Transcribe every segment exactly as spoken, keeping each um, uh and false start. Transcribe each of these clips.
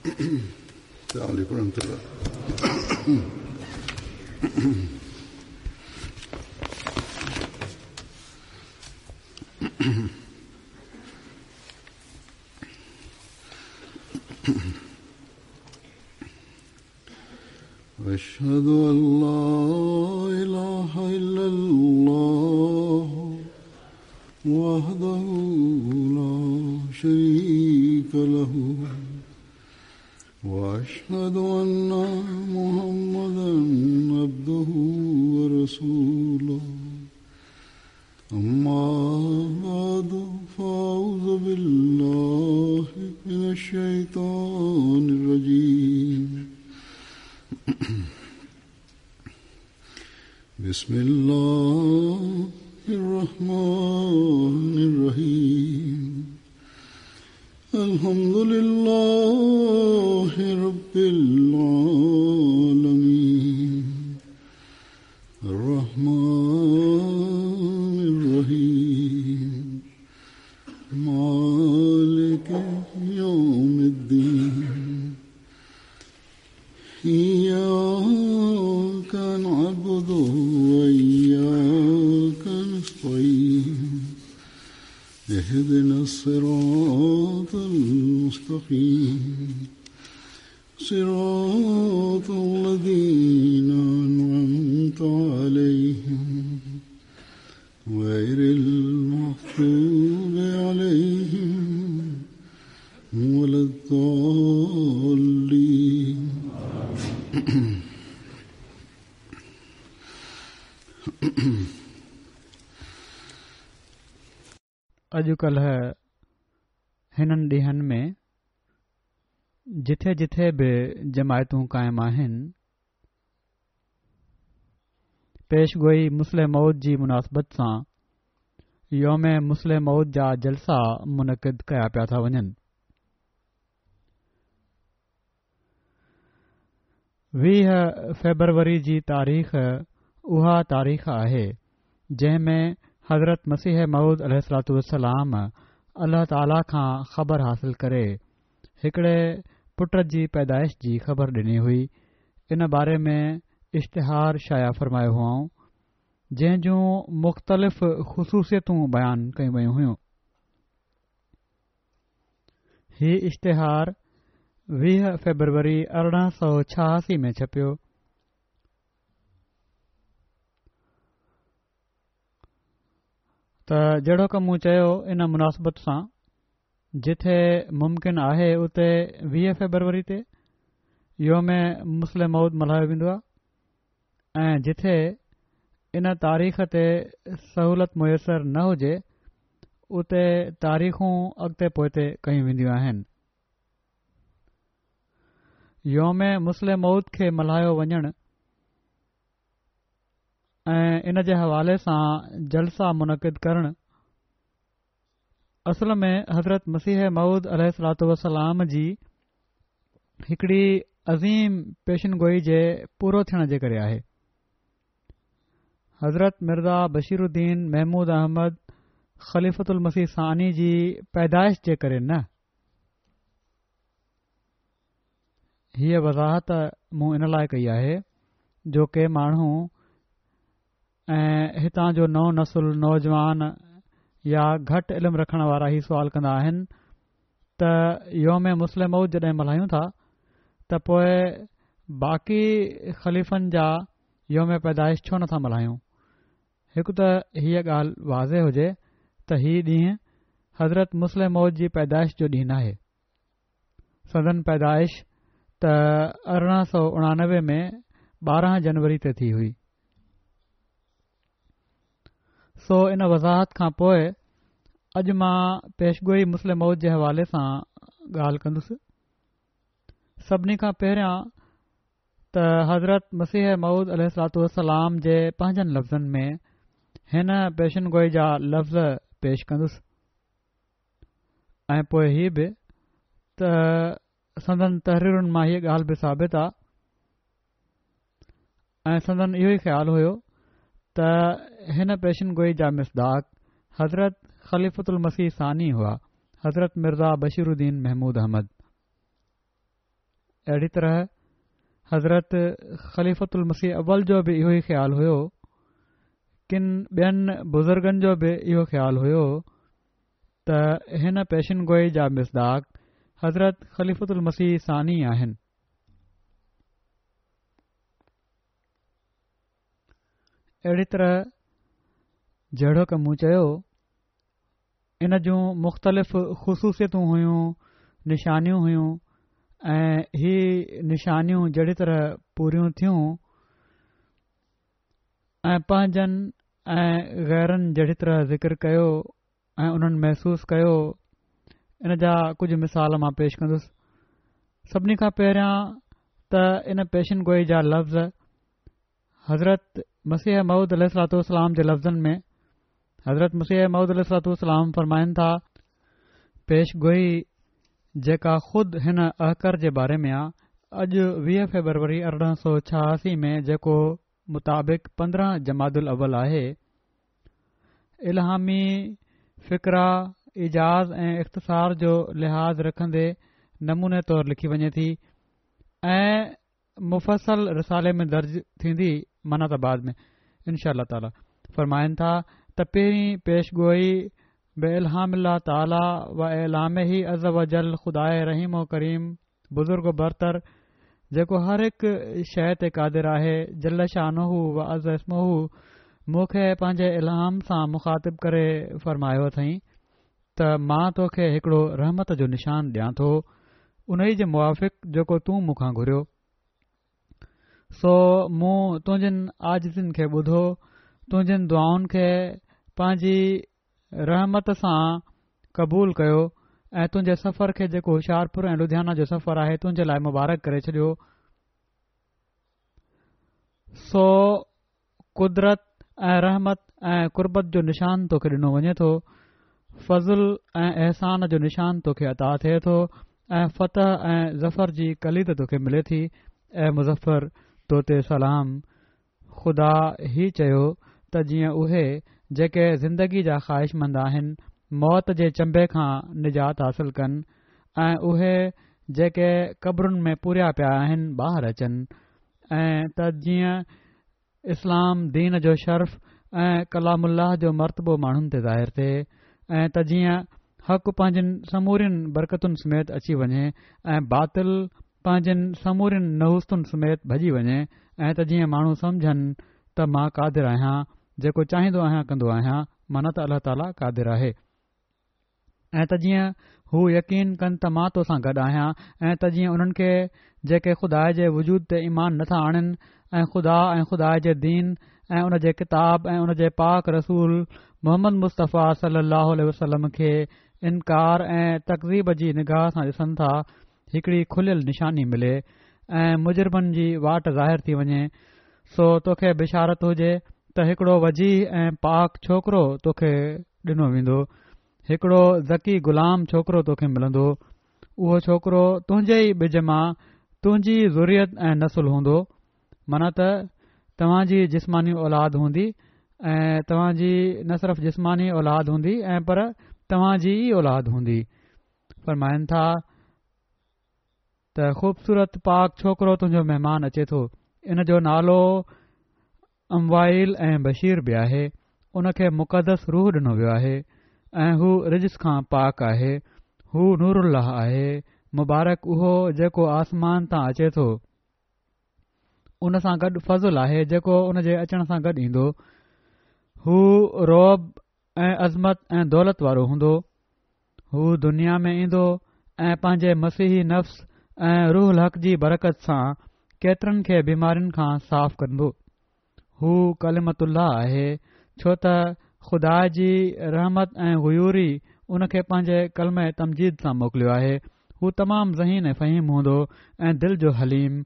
السلام عليكم ورحمة الله. أشهد أن لا إله إلا الله وحده لا شريك له وأشهد أن محمدا عبده ورسوله. أما بعد فأعوذ بالله من الشيطان الرجيم. بسم الله الرحمن الرحيم. الحمد لله رب العالمين الرحمن الرحيم مالك يوم الدين. إياك نعبد وإياك نستعين. اهدنا الصراط المستقيم صراط الذين أنعمت عليهم غير المغضوب عليهم ولا الضالين. اڄڪلهه هنن ڏينهن ۾ جٿي جٿي به جماعتون قائم آهن، پيشگوئي مصلح موعود جي مناسبت سان يوم مصلح موعود جا جلسا منعقد ڪيا پيا ٿا وڃن. ويهه فيبروري جي تاريخ اها تاريخ آهي جنهن ۾ حضرت مسيح موعود عليه الصلوة والسلام الله تعاليٰ کان خبر حاصل ڪري هڪڙي پٽ جي پيدائش جي خبر ڏني هئي. ان باري ۾ اشتهار شايع فرمايو هئائون جنهن جون مختلف خصوصيتون بيان ڪيون ويون هيون. هي اشتهار ويهه فيبروري ارڙهن سؤ ڇهاسي ۾ ڇپيو. ته جهڙوڪ مون چيو، ان مناسبت سان جٿي ممڪن آهي اتي ويهه فيبروري تي يوم مصلح موعود ملهايو ويندو آهي ۽ جٿي ان تاريخ تي سهولت ميسر نه هجي اتي تاريخون اڳتي پوئتي ڪيون وينديون آهن. يوم مصلح موعود کي ملهايو وڃڻ ۽ ان جي حوالي سان جلسا منعقد ڪرڻ اصل ۾ حضرت مسيح موعود عليه الصلوة والسلام جي هڪڙي عظيم پيشن گوئي جي پورو ٿيڻ جي ڪري آهي. حضرت مرزا بشير الدين محمود احمد خليفة المسيح ثاني جي پيدائش جي ڪري نه. هيءَ وضاحت مون ان لاءِ ڪئي آهي جو ڪي ماڻهو ۽ هتان جو نئون نسل، نوجوان يا گهٽ علم رکڻ وارا هي سوال ڪندا آهن ته يوم مصلح موعود جڏهن ملهايون ٿا ته پوءِ باقي خليفن جا يوم پيدائش ڇو نٿا ملهايون؟ هڪ ته هيءَ ڳالهه واضح هجي ته هي ڏينهن حضرت مصلح موعود جي پيدائش جو ڏينهن ناهي. سندن پيدائش ته ارڙهن سؤ اڻانوي ۾ ٻارهن جنوري تي ٿي هئي. سو ان وضاحت کان پوءِ اڄ مان پيشگوئي مصلح موعود جي حوالي سان ڳالهه ڪندس. سڀني کان پهريان ته حضرت مسيح موعود عليه الصلوة والسلام جي پنهنجن لفظن ۾ هن پيشن گوئي جا لفظ پيش ڪندس ۽ پوءِ هي به ته سندن تحريرن مان هيءَ ڳالهه به ثابت آهي ۽ سندن اهو ئي خيال هيو ته هن پيشن گوئي جا مصداق حضرت خليفة المسيح ثاني هئا، حضرت مرزا بشير الدين محمود احمد. اهڙي طرح حضرت خليفة المسيح اول جو به اهو ئي خيال هيو، ڪن ٻين بزرگن جو به اهو خيال هيو ته هن پيشن گوئي جا مصداق حضرت خليفة المسيح ثاني آهن. اهڙي طرح جهڙوڪ مون چيو، ان جون مختلف خصوصيتون هيون، نشانيون هيون ۽ هي نشانيون جهڙي طرح پوريون ٿيون ۽ پنهنجن ۽ غيرن جهڙي طرح ذڪر ڪيو ۽ انهن محسوس ڪيو، ان جا ڪجهه مثال مان پيش ڪندس. سڀني کان پهريان ته ان پيشن گوئي جا لفظ حضرت مسيح موعود عليه الصلوة والسلام جي لفظن ۾ حضرت مسيح موعود عليه الصلوة والسلام فرمائن ٿا، پيش گوئي جيڪا خود هن احقر جي باري ۾ آ، اڄ ويهه فيبروري ارڙهن سؤ ڇهاسي ۾ جيڪو مطابق پندرهن جمادي الاول آهي، الهامي فقره ايجاز ۽ اختصار جو لحاظ رکندي نموني طور لکي وڃي ٿي ۽ مفصل رسالي ۾ درج ٿيندي، معنيٰ ته بعد ۾ ان شاء الله تعاليٰ. فرمائن ٿا ته پهرين پيش گوئي بالهام الله تعاليٰ و اعلامه عز وجل خداء رحيم و ڪريم بزرگ و برتر جيڪو هر هڪ شيء تي قادر آهي جل شانه و عز اسمه مون کي پنهنجي الهام سان مخاطب ڪري فرمايو اٿئين ته مان توکي هڪڙو رحمت جو نشان ڏيان ٿو انهي جي موافق جيڪو تون مون کان گهريو، سو مون تنهنجين عاجزين کي ٻڌو، تنهنجين دعائن کي پنهنجي رحمت سان قبول ڪيو ۽ تنهنجي سفر کي جيڪو هوشيارپور ۽ لڌيانا جو سفر آهي تنهنجي لاء مبارڪ ڪري ڇڏيو. سو قدرت ۽ رحمت ۽ قربت جو نشان توکي ڏنو وڃي ٿو، فضل ۽ احسان جو نشان توکي عطا ٿئي ٿو ۽ فتح ۽ ظفر جي ڪليد توکي ملي ٿي. اي مظفر! تو تي سلام. خدا هي چيو ته جيئن اهي، جيڪي زندگي جا خواهشمند آهن، موت جي چنبي کان نجات حاصل ڪن ۽ اهي جيڪي قبرن ۾ پوريا پيا آهن ٻاهر اچن ۽ ته جيئن اسلام دين جو شرف ۽ ڪلام الله جو مرتبو ماڻهن تي ظاهر ٿئي ۽ ته جيئن حق پنهنجين سمورين برڪتن سميت اچي وڃي ۽ باطل پنهنجين سمورين نحوستن سميت ڀڄي وڃي ۽ ته جيئن ماڻهو سمجهن ته مان قادر آهيان جيڪو چاهيندو آهيان ڪندو آهيان، معنيٰ ته الله تعاليٰ قادر آهي. ۽ ته جيئن هو يقين ڪن ته مان تو سان گڏ آهيان ۽ ته جيئن انهن کي جيڪي خدا جي وجود تي ايمان نه ٿا آڻين ۽ خدا ۽ خدا جي دين ۽ ان جي ڪتاب ۽ ان جي پاڪ رسول محمد مصطفيٰ صلي الله عليه وسلم کي انڪار ۽ تڪذيب جي نگاهه سان ڏسن ٿا هڪڙي کليل نشاني ملي ۽ مجرمن جي واٽ ظاهر ٿي وڃي سو توکي بشارت هجي ته هڪڙو وجيه ۽ پاڪ ڇوڪرو توکي ڏنو ويندو هڪڙو ذڪي غلام ڇوڪرو توکي ملندو، اهو ڇوڪرو تنهنجي ئي ٻج مان تنهنجي ئي ذريت ۽ نسل هوندو، معنيٰ ته توهان جي جسماني اولاد هوندي ۽ توهان جي نه صرف جسماني اولاد هوندي ۽ پر توهان جي ئي اولاد هوندي. فرمائن ٿا ته خوبصورت پاڪ ڇوڪرو تنهنجو مهمان اچي ٿو، ان جو نالو عموايل ۽ بشير به آهي، ان کي مقدس روح ڏنو ويو آهي ۽ هو رجس کان پاڪ آهي، هو نور الله آهي، مبارڪ اهو جيڪو آسمان تان اچي ٿو، ان سان گڏ فضل آهي جيڪو ان جي اچڻ سان گڏ ايندو، هو رعب ۽ عظمت ۽ دولت وارو هوندو، هو دنيا ۾ ايندو ۽ پنهنجي مسيحي نفس ۽ روح الحق جي برڪت سان ڪيترن کي بيمارين کان صاف ڪندو. هو ڪلمة الله آهي، ڇو ته خدا جي رحمت ۽ غيوري ان کي پنهنجي ڪلمه تمجيد سان موڪليو آهي. هو تمام ذهين ۽ فهيم هوندو ۽ دل جو حليم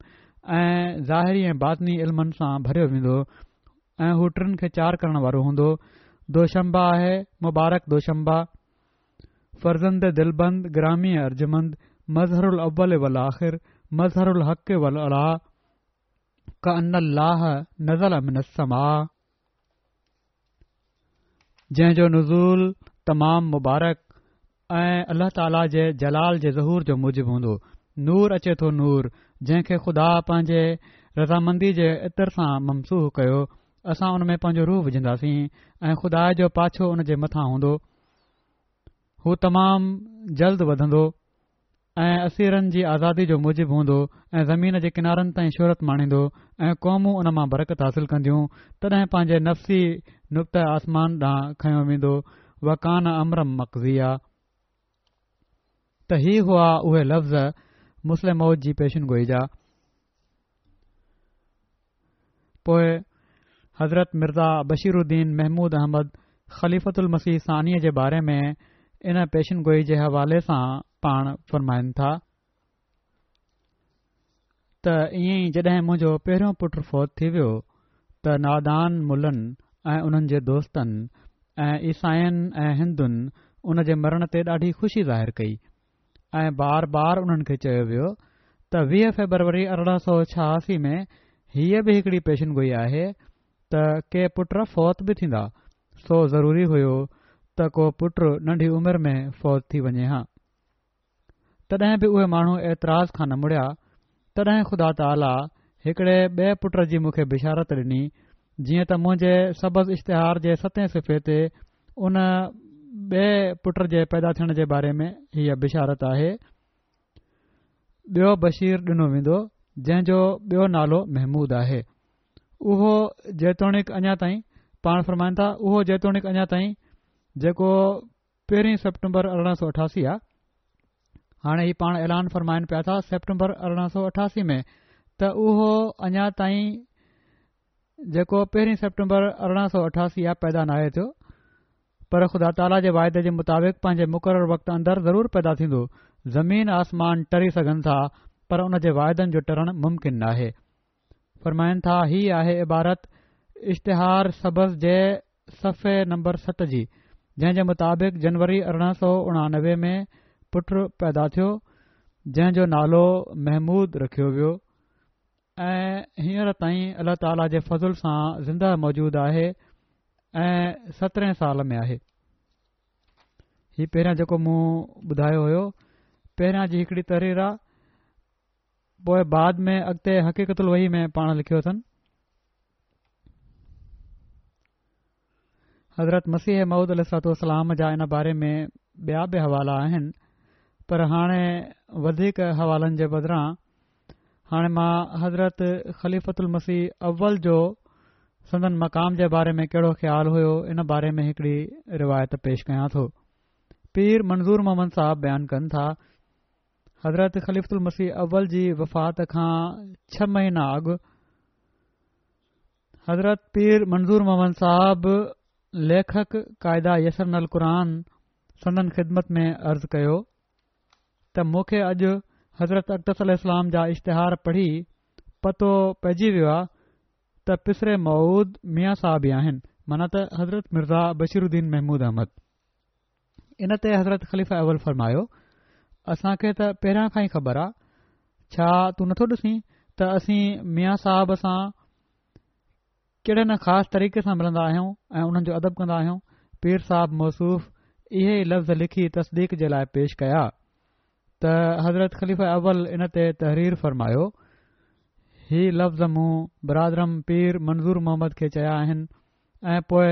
۽ ظاهري ۽ باطني علمن سان ڀريو ويندو. ۽ هو ٽن کي چار ڪرڻ وارو هوندو. دوشنبه آهي مبارڪ دوشنبه، فرزند دلبند گرامي ارجمند، مظهر الاول والآخر، مظهر الحق والعلا، ڪأن الله نزل من السماء، جنهن جو نزول تمام مبارڪ ۽ الله تعاليٰ جي جلال جي ظهور جو موجب هوندو. نور اچي ٿو نور، جنهن کي خدا پنهنجي رضامندي جي عطر سان ممسوح ڪيو. اسان ان ۾ پنهنجو روح وجهنداسين ۽ خدا جو پاڇو ان جي مٿان هوندو. هو تمام جلد وڌندو ۽ اسيرن جي آزادي جو موجب هوندو ۽ زمين جي ڪنارن تائين شهرت ماڻيندو ۽ قومون ان مان برڪت حاصل ڪنديون. تڏهن پنهنجي نفسي نقطه آسمان ڏانهن کنيو ويندو. وڪان امرا مقضيا. ته هي هئا اهي لفظ مصلح موعود جي پيشن گوئي جا. پوء حضرت مرزا بشير الدين محمود احمد خليفة المسيح ثانيءَ جي باري ۾ ان پيشن گوئي جي حوالي سان پاڻ فرمائن ٿا ته ائين ئي جڏهن منهنجو پهريون پٽ فوت ٿي ويو ته نادان ملن ۽ انهن جي دوستن ۽ عيسائين ۽ هندن ان جي مرڻ تي ڏاڍي خوشي ظاهر ڪئي ۽ بار بار انهن کي چيو ويو ته ويهه فيبروري ارڙهن سؤ ڇهاسي ۾ هيءَ به هڪڙي پيشن گوئي آهي ته ڪي پٽ فوت به ٿيندا، سو ضروري هيو ته ڪو پٽ ننڍي عمر ۾ فوت ٿي وڃي ها. تڏهن به اهي ماڻهو اعتراض کان نه مڙيا. تڏهن خدا تعاليٰ هڪڙي ٻئي پٽ جي مون کي بشارت ڏني، جيئن ته منهنجي سبز اشتهار جي ستين صفحي تي ان ٻئي پٽ جي پيدا ٿيڻ جي باري ۾ هيءَ بشارت آهي. ٻيو بشير ڏنو ويندو، جنهن جو ٻيو نالو محمود آهي. اهو جيتوڻيڪ اڃا تائين، پاڻ فرمائن ٿا، اهو جيتوڻيڪ اڃا تائين جيڪو پهرين سيپٽمبر ارڙهن سؤ اٺاسي آ، هاڻي هي پاڻ اعلان فرمائن پيا ٿا سيپٽمبر ارڙهن سؤ اٺاسي ۾ ته اهو اڃا تائين جيڪو پهرين سيپٽمبر ارڙهن سؤ اٺاسي آ پيدا ناهي ٿيو، پر خدا تعاليٰ جي واعدي جي مطابق پنهنجي مقرر وقت اندر ضرور پيدا ٿيندو. زمين آسمان ٽري سگهن ٿا، پر ان جي واعدن جو ٽرڻ ممڪن ناهي. فرمائن ٿا هي آهي عبارت اشتهار سبز جي صفحي نمبر ست جي، جنهن جي مطابق جنوري ارڙهن سؤ اڻانوي ۾ پٽ پيدا ٿيو، جنهن جو نالو محمود رکيو ويو ۽ هينئر تائين الله تعاليٰ جي فضل سان زنده موجود آهي ۽ سترهين سال ۾ آهي. هي پهريان جيڪو مون ٻڌايو هيو، پهريان جي هڪڙي تحرير آ، پوءِ بعد ۾ اڳتي حقيقت الوحي ۾ پاڻ لکيو اٿن. حضرت مسيح موعود عليه الصلوة والسلام جا ان باري ۾ ٻيا به حوالا آهن، پر هاڻي وڌيڪ حوالن جي بدران هاڻي مان حضرت خليفة المسيح اول جو سندن مقام جي باري ۾ ڪهڙو خيال هيو ان باري ۾ هڪڙي روايت پيش ڪيان ٿو. پير منظور محمد صاحب بيان ڪن ٿا، حضرت خليفة المسيح اول جي وفات کان ڇهه مهينا اڳ حضرت پير منظور محمد صاحب ليکڪ قاعده يسرنا القرآن سندن خدمت ۾ عرض ڪيو ته مون کي اڄ حضرت اقدس عليه السلام جا اشتهار پڙهي پتو پئجي ويو آهي ته پسر موعود ميان صاحب ئي آهن، معنيٰ ته حضرت مرزا بشير الدين محمود احمد. ان تي حضرت خليفه اول فرمايو، اسان کي ته پهريان کان ئي خبر آ، ڇا تون نٿو ڏسين ته اسين ميان صاحب سان ڪهڙي نه خاص طريقي سان ملندا آهيون ۽ انهن جو ادب ڪندا آهيون. پير صاحب موصوف اهي ئي لفظ لکي تصديق جي لاءِ پيش ڪيا ته حضرت خليفه اول ان تي تحرير فرمايو، هي لفظ مون برادرم پير منظور محمد کي چيا آهن ۽ پوءِ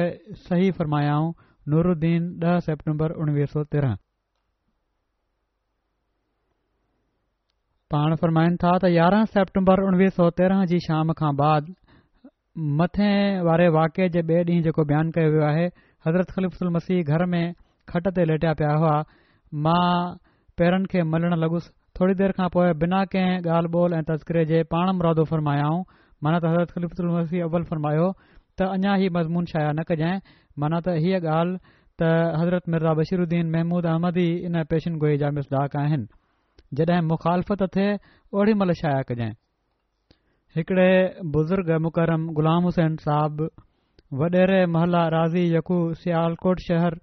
صحيح فرمايائون. نورالدين ڏهه سيپٽمبر اڻويهه سؤ تيرهن. پاڻ فرمائن ٿا ته يارهن سيپٽمبر اڻويهه سؤ تيرهن جي شام کان بعد مٿين واري واقعي جي ٻئي ڏينهن جيڪو بيان ڪيو ويو آهي، حضرت خليفة المسيح گهر ۾ کٽ تي ليٽيا پيا هئا. مان پيرن کي ملڻ لڳس. ٿوري دير کان پوءِ بنا ڪنهن ڳالهه ٻولهه ۽ تذڪري جي پاڻ مرادو فرمايائون، معنيٰ ته حضرت خليفة المسيح اول فرمايو ته اڃا هي مضمون شايع نه ڪجانء، معنيٰ ته هيءَ ڳالهه ته حضرت مرزا بشير الدين محمود احمد ئي ان پيشن گوئي جا مصداق آهن، جڏهن مخالفت ٿئي اوڏي مهل شايع ڪجانء. هڪڙي بزرگ مڪرم غلام حسين صاحب وڏيري محله راضي يڪو سيالڪوٽ شهر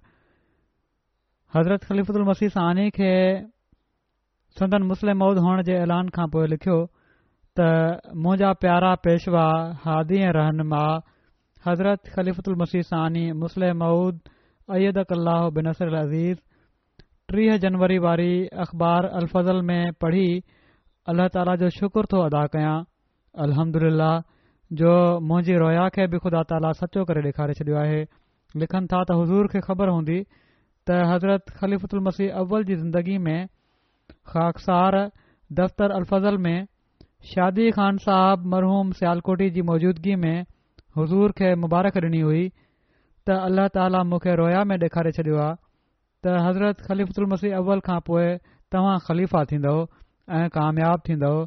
حضرت خليفة المسيح ثاني کي سندن مصلح موعود هئڻ جي اعلان کان پوءِ لکيو ته منهنجا پيارا پيشوا هادي ۽ رهنما حضرت خليفة المسيح ثاني مصلح موعود ايدڪ الله بنصره العزيز، ٽيهه جنوري واري اخبار الفضل ۾ پڙهي الله تعاليٰ جو شڪر ٿو ادا ڪيان، الحمدلله جو منهنجي رويا کي به خدا تعاليٰ سچو ڪري ڏيکاري ڇڏيو آهي. لکن ٿا ته حضور کي خبر هوندي ته حضرت خليفة المسيح اول جي زندگي ۾ خاڪسار دفتر الفضل ۾ شادي خان صاحب مرحوم سيالڪوٽي جي موجودگي ۾ حضور کي مبارڪ ڏني هئي ته الله تعاليٰ مون کي رويا ۾ ڏيکاري ڇڏيو آهي ته حضرت خليفة المسيح اول کان پوء توهان خليفا ٿيندؤ ۽ ڪامياب ٿيندؤ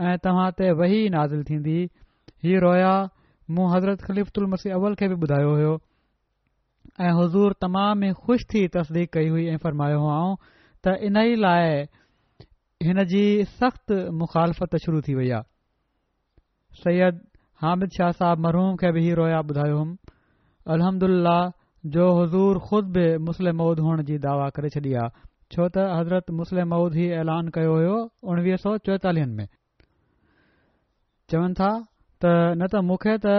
۽ توهان تي وحي نازل ٿيندي. هي رويا مون حضرت خليفة المسيح اول کي به ٻڌايو هيو ۽ حضور تمام ئي خوش ٿي تصديق ڪئي هئي ۽ فرمايو هئائون ته انهي لاء هن جي سخت مخالفت شروع ٿي وئي آهي. سيد حامد شاهه صاحب مرحوم کي به هي رويا ٻڌايو هئم. الحمدلله جو حضور خود به مصلح موعود هئڻ جي دعويٰ ڪري ڇڏي آ، ڇو ته حضرت مصلح موعود هي اعلان ڪيو هيو اڻويهه سؤ چوئيتاليهن ۾. چون ٿا ته نه ته مون کي ته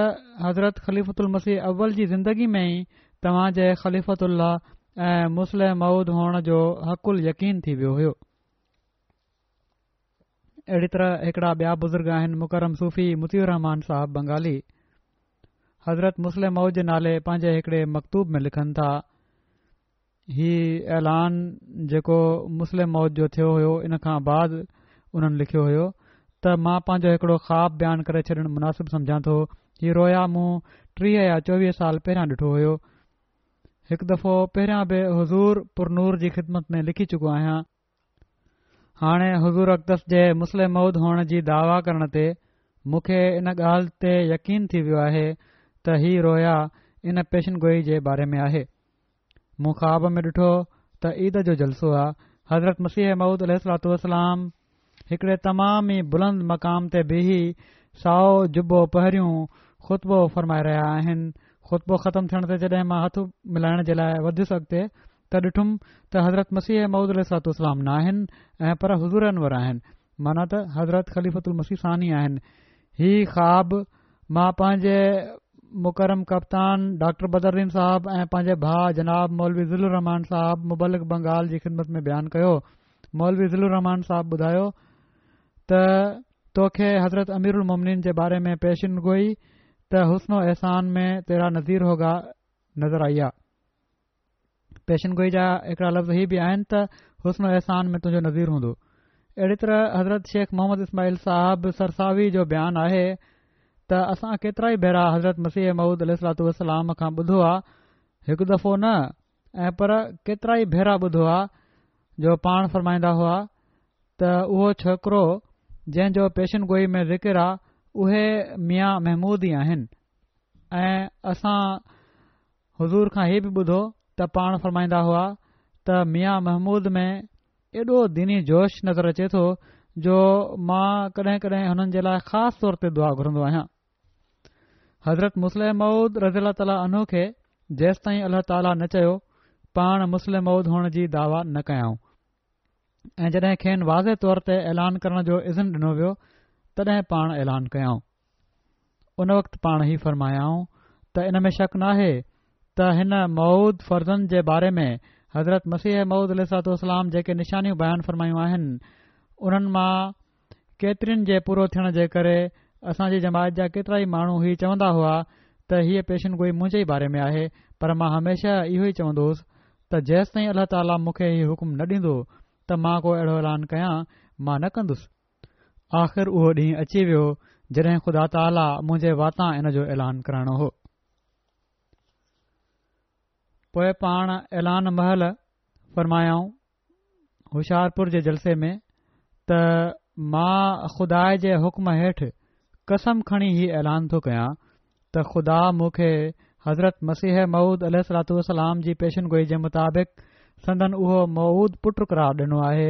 حضرت خليفة المسيح اول جي زندگي ۾ ئي توهان جي خليفة الله ۽ مصلح موعود هئڻ جو حق اليقين ٿي ويو هيو. اهڙي طرح هڪڙا ٻيا بزرگ آهن مڪرم صوفي مطيع الرحمان صاحب بنگالي حضرت مصلح موعود جي نالي پنهنجي هڪڙي مڪتوب ۾ لکن ٿا، هي اعلان جيڪو مصلح موعود جو ٿيو هيو ان کان بعد انهن لکيو هيو ته مان پنهنجو هڪڙو خواب بيان ڪري ڇڏڻ مناسب سمجهان ٿو. هي رويا مون ٽيهه يا چوويهه سال پهريان ڏٺو هيو. هڪ دفعو پهريان به حضور پرنور جي خدمت ۾ لکي چڪو آهيان. هاڻي حضور اقدس جي مصلح موعود هئڻ جي دعويٰ ڪرڻ تي مون کي ان ڳالهه تي يقين ٿي ويو آهي ته هي رويا ان پيشن گوئي جي باري ۾ آهي. مون خواب ۾ ڏٺو ته عيد جو جلسو آ، حضرت مسيح موعود عليه الصلوة والسلام هڪڙي تمام ئي بلند مقام تي بيهي سائو جبو پهريون خطبو فرمائي رهيا آهن. خطبو ختم ٿيڻ تي جڏهن مان هٿ ملائڻ جي لاء وڌيس اڳتي ته ڏٺم ته حضرت مسيح موعود عليه الصلوة والسلام ناهن ۽ پر حضور انور آهن، معنيٰ ته حضرت خليفة المسيح ثاني آهن. هي خواب مان پنهنجي مڪرم ڪپتان ڊاڪٽر بدرالدين صاحب ۽ پنهنجي ڀاء جناب مولوي ظل الرحمان صاحب مبلغ بنگال جي خدمت ۾ بيان ڪيو. مولوي ظل الرحمان صاحب ٻڌايو ته توکي حضرت امير المومنين جي باري ۾ پيشن گوئي ته حسن و احسان ۾ تيرا نظير هوگا نظر آئي آ. پيشن گوئي جا هڪڙا لفظ هي به آهن ته حسن و احسان ۾ تنهنجو نظير هوندو. اهڙي طرح حضرت شيخ محمد اسماعيل صاحب سرساوي جو بيان آهي ته اسان ڪيترائي ڀيرا حضرت مسيح موعود عليه الصلوة والسلام کان ٻڌو آ، هڪ دفعو نه ۽ پر ڪيترائي ڀيرا ٻڌو آ جو پاڻ فرمائيندا هئا ته اهو ڇوڪرو جنهن جو پيشن گوئي ۾ ذڪر آ اهي ميان محمود ئي آهن ۽ اسان حضور کان هي به ٻڌو ته پاڻ فرمائيندا هئا ته ميان محمود ۾ ايڏو ديني جوش نظر اچي ٿو جو مان ڪڏهن ڪڏهن هنن جي لاء خاص طور تي دعا گهرندو آهيان. حضرت مصلح موعود رضي الله تعالٰي عنه کي جيستائين الله تعالٰي نه چيو پاڻ مصلح موعود هئڻ جي دعويٰ نه ڪيائون ۽ جڏهن کين واضح طور تي اعلان ڪرڻ جو اذن ڏنو ويو تڏهن پاڻ اعلان ڪيائون. ان وقت پاڻ هي فرمايائون ته ان ۾ شڪ ناهي ته هن موعود فرزند جي باري ۾ حضرت مسيح موعود عليه الصلوة والسلام جيڪي نشانيون بيان فرمايون آهن انهن مان ڪيترين جي پورو ٿيڻ جي ڪري اسان جي جماعت جا ڪيترائي ماڻهو هي چوندا هئا ته هيء پيشن گوئي منهنجي ئي باري ۾ آهي پر مان هميشه اهو ئي چوندو هوس ته جيستائين الله تعاليٰ مون کي هي حڪم نه ڏيندو ته مان ڪو اهڙو اعلان ڪيان مان نه ڪندس. آخر اهو ڏينهن اچي ويو جڏهن خدا تعاليٰ منهنجي واتان ان جو اعلان ڪرائڻو هو. پوء پاڻ اعلان مهل فرمايائون هوشيارپور جي جلسي ۾ ته مان خدا جي حڪم هيٺ قسم کڻي هي اعلان ٿو ڪيان ته خدا مون کي حضرت مسيح موعود عليه الصلوة والسلام جي پيشن گوئي جي مطابق سندن اهو موعود پٽ قرار ڏنو آهي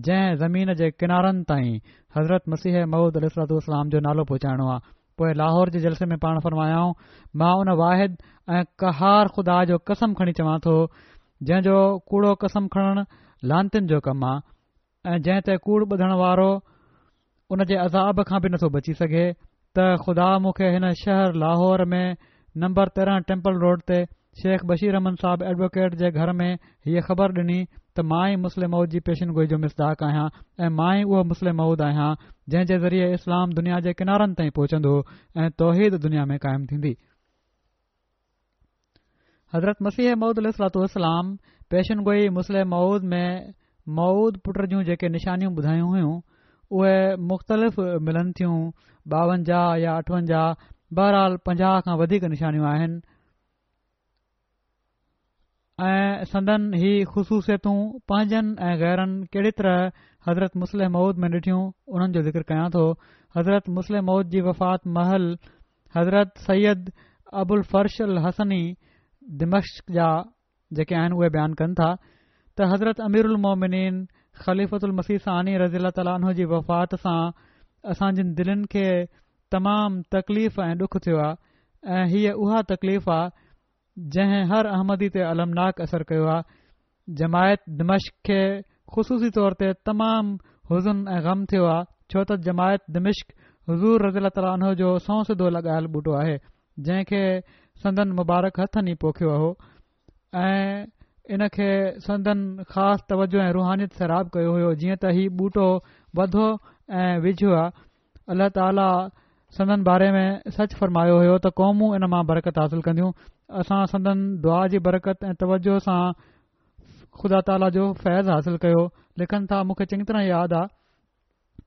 جنهن زمين جي ڪنارن تائين حضرت مسيح موعود عليه الصلوة والسلام جو نالو پهچائڻو آهي. پوء لاهور جي جلسي ۾ پاڻ فرمايائون، مان ان واحد ۽ قهار خدا جو قسم کڻي چوان ٿو جنهن جو ڪوڙو قسم کڻڻ لعنتين جو ڪم آ ۽ جنهن تي ڪوڙ ٻڌڻ وارو ان جي عذاب کان به نٿو بچي سگهي ته خدا مون کي هن شهر لاهور ۾ نمبر تيرنهن ٽيمپل روڊ تي شيخ بشير احمد صاحب ايڊووڪيٽ جي گهر ۾ هيء خبر ڏني ته ته مان ئي مصلح موعود جي پيشن گوئي جو مصداق آهيان ۽ مان ئي اهو مصلح موعود آهيان جنهن جي ذريعي اسلام دنيا جي ڪنارن تائين پهچندو ۽ توحيد دنيا ۾ قائم ٿيندي. حضرت مسيح موعود عليه الصلوة والسلام پيشن گوئي مصلح موعود ۾ موعود پٽ جون جيڪي نشانيون ٻڌايون هيون اهي مختلف ملن ٿيون، ٻاونجاهه يا اٺونجاهه، بهرحال پنجاهه کان وڌيڪ نشانيون آهن ۽ سندن هي خصوصيتون پنهنجن ۽ غيرن ڪهڙي طرح حضرت مصلح موعود ۾ ڏٺيون انهن جو ذڪر ڪيان ٿو. حضرت مصلح موعود جي وفات مهل حضرت سيد ابوالفرش الحسني دمشق جا جيڪي آهن اهي بيان ڪن ٿا ته حضرت امير المومنين خليفة المسيح ثاني رضي الله تعالٰي عنه جي وفات سان اسان جن دلين کي تمام تڪليف ۽ ڏک ٿيو آهي ۽ هيء اها تڪليف آهي جنهن هر احمدي تي المناڪ اثر ڪيو آهي. جماعت دمشق کي خصوصي طور تي تمام حزن ۽ غم ٿيو آهي ڇو ته جماعت دمشق حضور رضي الله تعالٰي عنه جو سنئون سڌو لڳايل ٻوٽو آهي جنهن کي سندن مبارڪ هٿن ئي پوکيو هو ۽ ان کي سندن خاص توجه ۽ روحانيت سيراب ڪيو هيو جيئن ته هي ٻوٽو وڌو ۽ ويجهيو آهي. الله تعاليٰ سندن باري ۾ سچ فرمايو هيو ته قومون ان مان برڪت حاصل ڪنديون. اسان سندن دعا جي برڪت ۽ توجه سان خدا تعاليٰ جو فيض حاصل ڪيو. لکن ٿا مون کي چڱي طرح ياد آ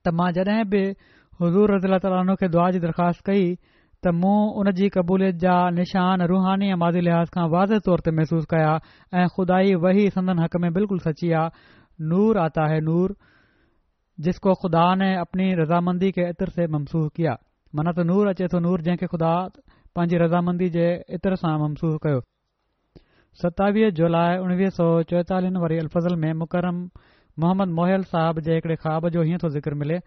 ته مان جڏهن به حضور رضي الله تعالٰي عنه کي دعا جي درخواست ڪئي ته مون ان جي قبوليت جا نشان روحاني ۽ مادي لحاظ کان واضح طور تي محسوس ڪيا ۽ خدائي وحي سندن حق ۾ بلڪل سچي آ نور آتا هي نور جس ڪو خدا ني اپني رضامندي ڪي عطر سي ممسوح ڪيا معنيٰ ته نور اچي ٿو نور جنهن کي خدا پنهنجي رضامندي جي عطر سان ممسوح ڪيو. ستاويهه جولاء اڻويهه سؤ چوئيتاليهن واري الفضل ۾ مڪرم محمد موهيل صاحب جي هڪڙي خواب جو هيئن ٿو ذڪر ملي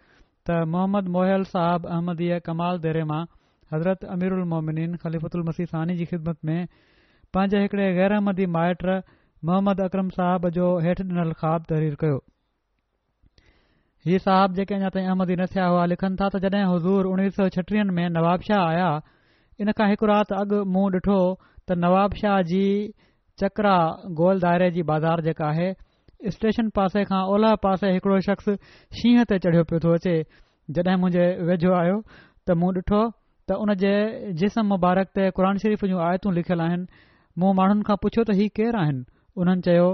ته محمد موهيل صاحب احمديه ڪمال ديري مان حضرت اميرالمومنين خليفة المسيح ثاني جي خدمت ۾ پنهنجي هڪڙي غير احمدي مائٽ محمد اڪرم صاحب جو هيٺ ڏنل خواب تحرير ڪيو. هي صاحب جيڪي اڃا تائين احمدي نه ٿيا هئا لکن ٿا ته جڏهن حضور اڻويهه سؤ ڇٽيهن ۾ نوابشاهه آيا ان کان هڪ رات اڳ مون ڏٺو ته نوابشاهه جي چڪرا گول دائري جي بازار جيڪا آهي اسٽيشن پاسي کان اولهه پاسي هڪڙو شخص شينهن تي چڙهيو پيو ٿو اچي جڏهن منهنجي ويجهو آيو ته مون ڏٺو ته ان جي جسم مبارڪ تي قرآن شريف جون آيتون لکيل آهن مون ماڻهن کان پڇيو ته هي ڪير آهن انهن چيو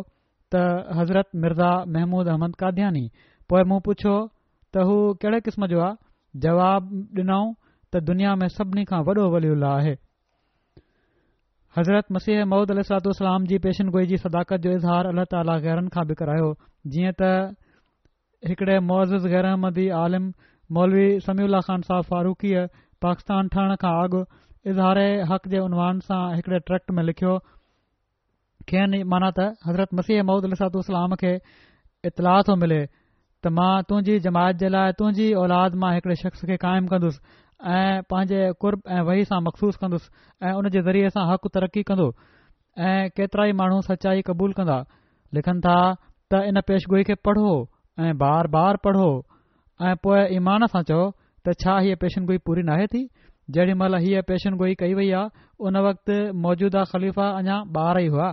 ته حضرت مرزا محمود احمد قادياني. پوء مون پڇيو ته هو ڪهڙي قسم جو آ؟ جواب ڏنائون ته دنيا ۾ سڀني کان وڏو ولي الله آهي. حضرت مسيح موعود عليه الصلوة والسلام جي پيشن گوئي جي صداقت جو اظهار الله تعاليٰ غيرن کان به ڪرايو جيئن ته هڪڙي معزز غير احمدي عالم مولوي سميع الله خان صاحب فاروقيء پاڪستان ٺهڻ کان اڳ اظهار حق جي عنوان سان هڪڙي ٽريڪٽ ۾ لکيو کين معنيٰ ته حضرت مسيح موعود عليه الصلوة والسلام کي اطلاع ٿو ملي ته مان تنهنجي جماعت جي لاء تنهنجي اولاد مان هڪڙي شخص کي قائم ڪندس ۽ پنهنجي قرب ۽ وحي سان مخصوص ڪندس ۽ ان جي ذريعي سان حق ترقي ڪندو ۽ ڪيترائي ماڻهو سچائي قبول ڪندا لکن ٿا ته ان پيشگوئي کي پڙهو ۽ بار بار پڙهو ۽ پوء ايمان سان چئو ته ڇا هيء پيشنگوئي پوري ناهي ٿي؟ جهڙي مهل هيء پيشنگوئي ڪئي وئي آ، ان وقت موجوده خليفا اڃا ٻار ئي هئا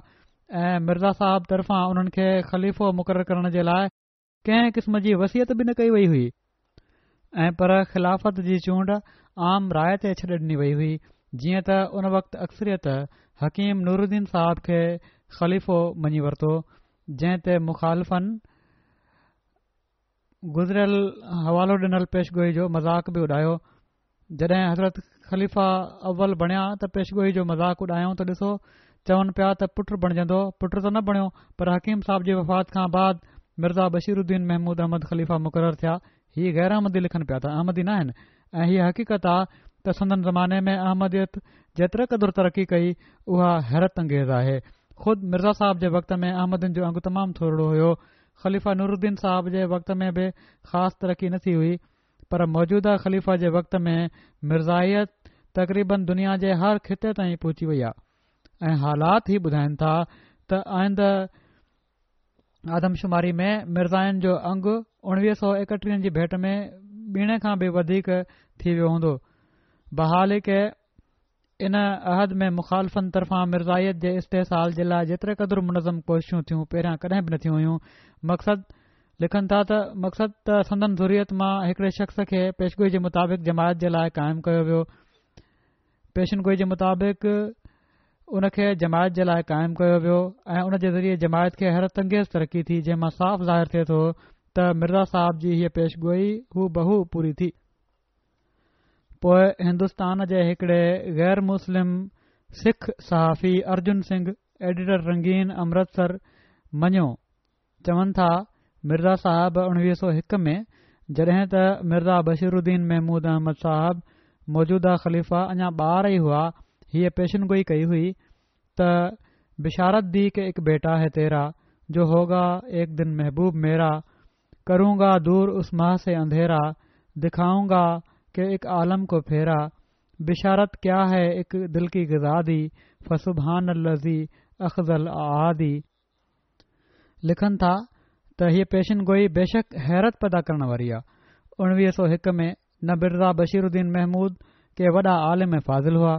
۽ مرزا صاحب طرفان انهن کي خليفو مقرر ڪرڻ جي لاء ڪنهن قسم جي وصيت به نه ڪئي وئي هئي ۽ پر خلافت جي چونڊ عام راء تي ڇڏي ڏني وئي هئي، جيئن ته ان وقت اڪثريت حڪيم نورالدين صاحب کي خليفو مڃي ورتو، جنهن تي مخالفن گذريل حوالو ڏنل پيشگوئي جو مذاق به اڏايو. جڏهن حضرت خليفه اول بڻيا ته پيشگوئي جو مذاق اڏايائون ته ڏسو چون پيا ته پٽ بڻجندو، پٽ ته نه بڻيو پر حڪيم صاحب جي وفات کان بعد مرزا بشير الدين محمود احمد خليفه مقرر ٿيا. هي غير احمدي لکن پيا ته احمدي ناهن ۽ هيء حقيقت آ ته سندن زماني ۾ احمديت جيتري قدر ترقي ڪئي اها حيرت انگيز آهي. خود مرزا صاحب جي وقت ۾ احمدين جو انگ تمام ٿورڙو هيو. خليفه نورالدين صاحب جي وقت ۾ به خاص ترقي نه ٿي هئي پر موجوده خليفه جي وقت ۾ مرزائيت تقريباً دنيا جي هر خطي تائين پهچي وئي آهي ۽ حالات هي ٻڌائن ٿا ته آئنده آدمشماري ۾ مرزائين جو انگ اڻويهه سؤ ايڪٽيهن جي ڀيٽ ۾ ٻيڻي کان به وڌيڪ ٿي ويو هوندو. بحالڪ ان عهد ۾ مخالفن طرفان مرزائيت جي استحصال جي لاء جيتري قدر منظم ڪوششون ٿيون، پهريان ڪڏهن به نه ٿيون هيون. مقصد لکن ٿا ته مقصد ته سندن ذريت مان هڪڙي شخص کي پيشگوئي جي مطابق جماعت جي لاء قائم ڪيو ويو. پيشن گوئي جي مطابق ان کي جماعت جي لاء قائم ڪيو ويو ۽ ان جي ذريعي جماعت کي حيرت انگيز ترقي ٿي، جنهن مان صاف ظاهر ٿئي ٿو ته مرزا صاحب جي هيء پيشگوئي هو بهو پوري ٿي. پوء هندستان جي هڪڙي غير مسلم سک صحافي ارجن سنگهه، ايڊيٽر رنگين امرتسر، مڃيو. چون ٿا، مرزا صاحب اڻويهه سؤ هڪ ۾ جڏهن ته مرزا بشير الدين محمود احمد صاحب موجوده خليفه اڃا ٻار ئي هئا، هيء پيشن گوئي ڪئي هئي ته بشارت the ڪه اڪ بيٽا هي تيرا، جو هوگا ايڪ دن محبوب ميرا، ڪرون گا دور اس ماه سي انڌيرا، دکائون گا ڪه اڪ عالم ڪو ڦيرا، بشارت ڪيا هي اڪ دل ڪي غذا the, فسبحان الذي اخزي الاعادي. لکن ٿا ته هيء پيشن گوئي بيشڪ حيرت پيدا ڪرڻ واري آ. اڻويهه سؤ هڪ ۾ نه مرزا بشير الدين محمود ڪي وڏا عالم ۽ فاضل هئا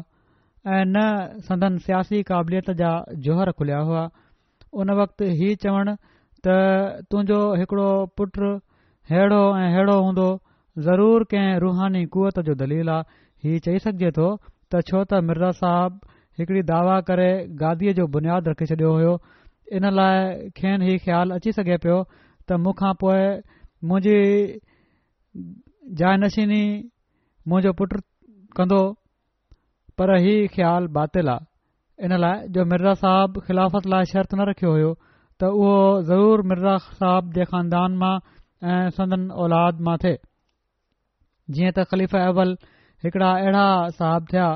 ۽ نه سندن سياسي قابليت جا جوهر کليا هئا. ان وقت هي چوڻ ته تنهنجو هڪڙو پٽ ههڙو ۽ ههڙو هوندو، ضرور ڪنهن روحاني قوت جو دليل آ. هي چئي سگهجي ٿو ته ڇو ته مرزا صاحب هڪڙي دعويٰ ڪري گاديء جو بنياد رکي ڇڏيو هيو، ان لاء کين هي خيال اچي سگهي پيو ته مون کان پوء منهنجي جائنشيني منهنجو پٽ ڪندو، پر هي خيال باطل آ، ان لاء جو مرزا صاحب خلافت لاء شرط نه رکيو هيو ته اهو ضرور مرزا صاحب جي خاندان مان ۽ سندن اولاد مان ٿئي. جيئن ته خليفه اول هڪڙا اهڙا صاحب ٿيا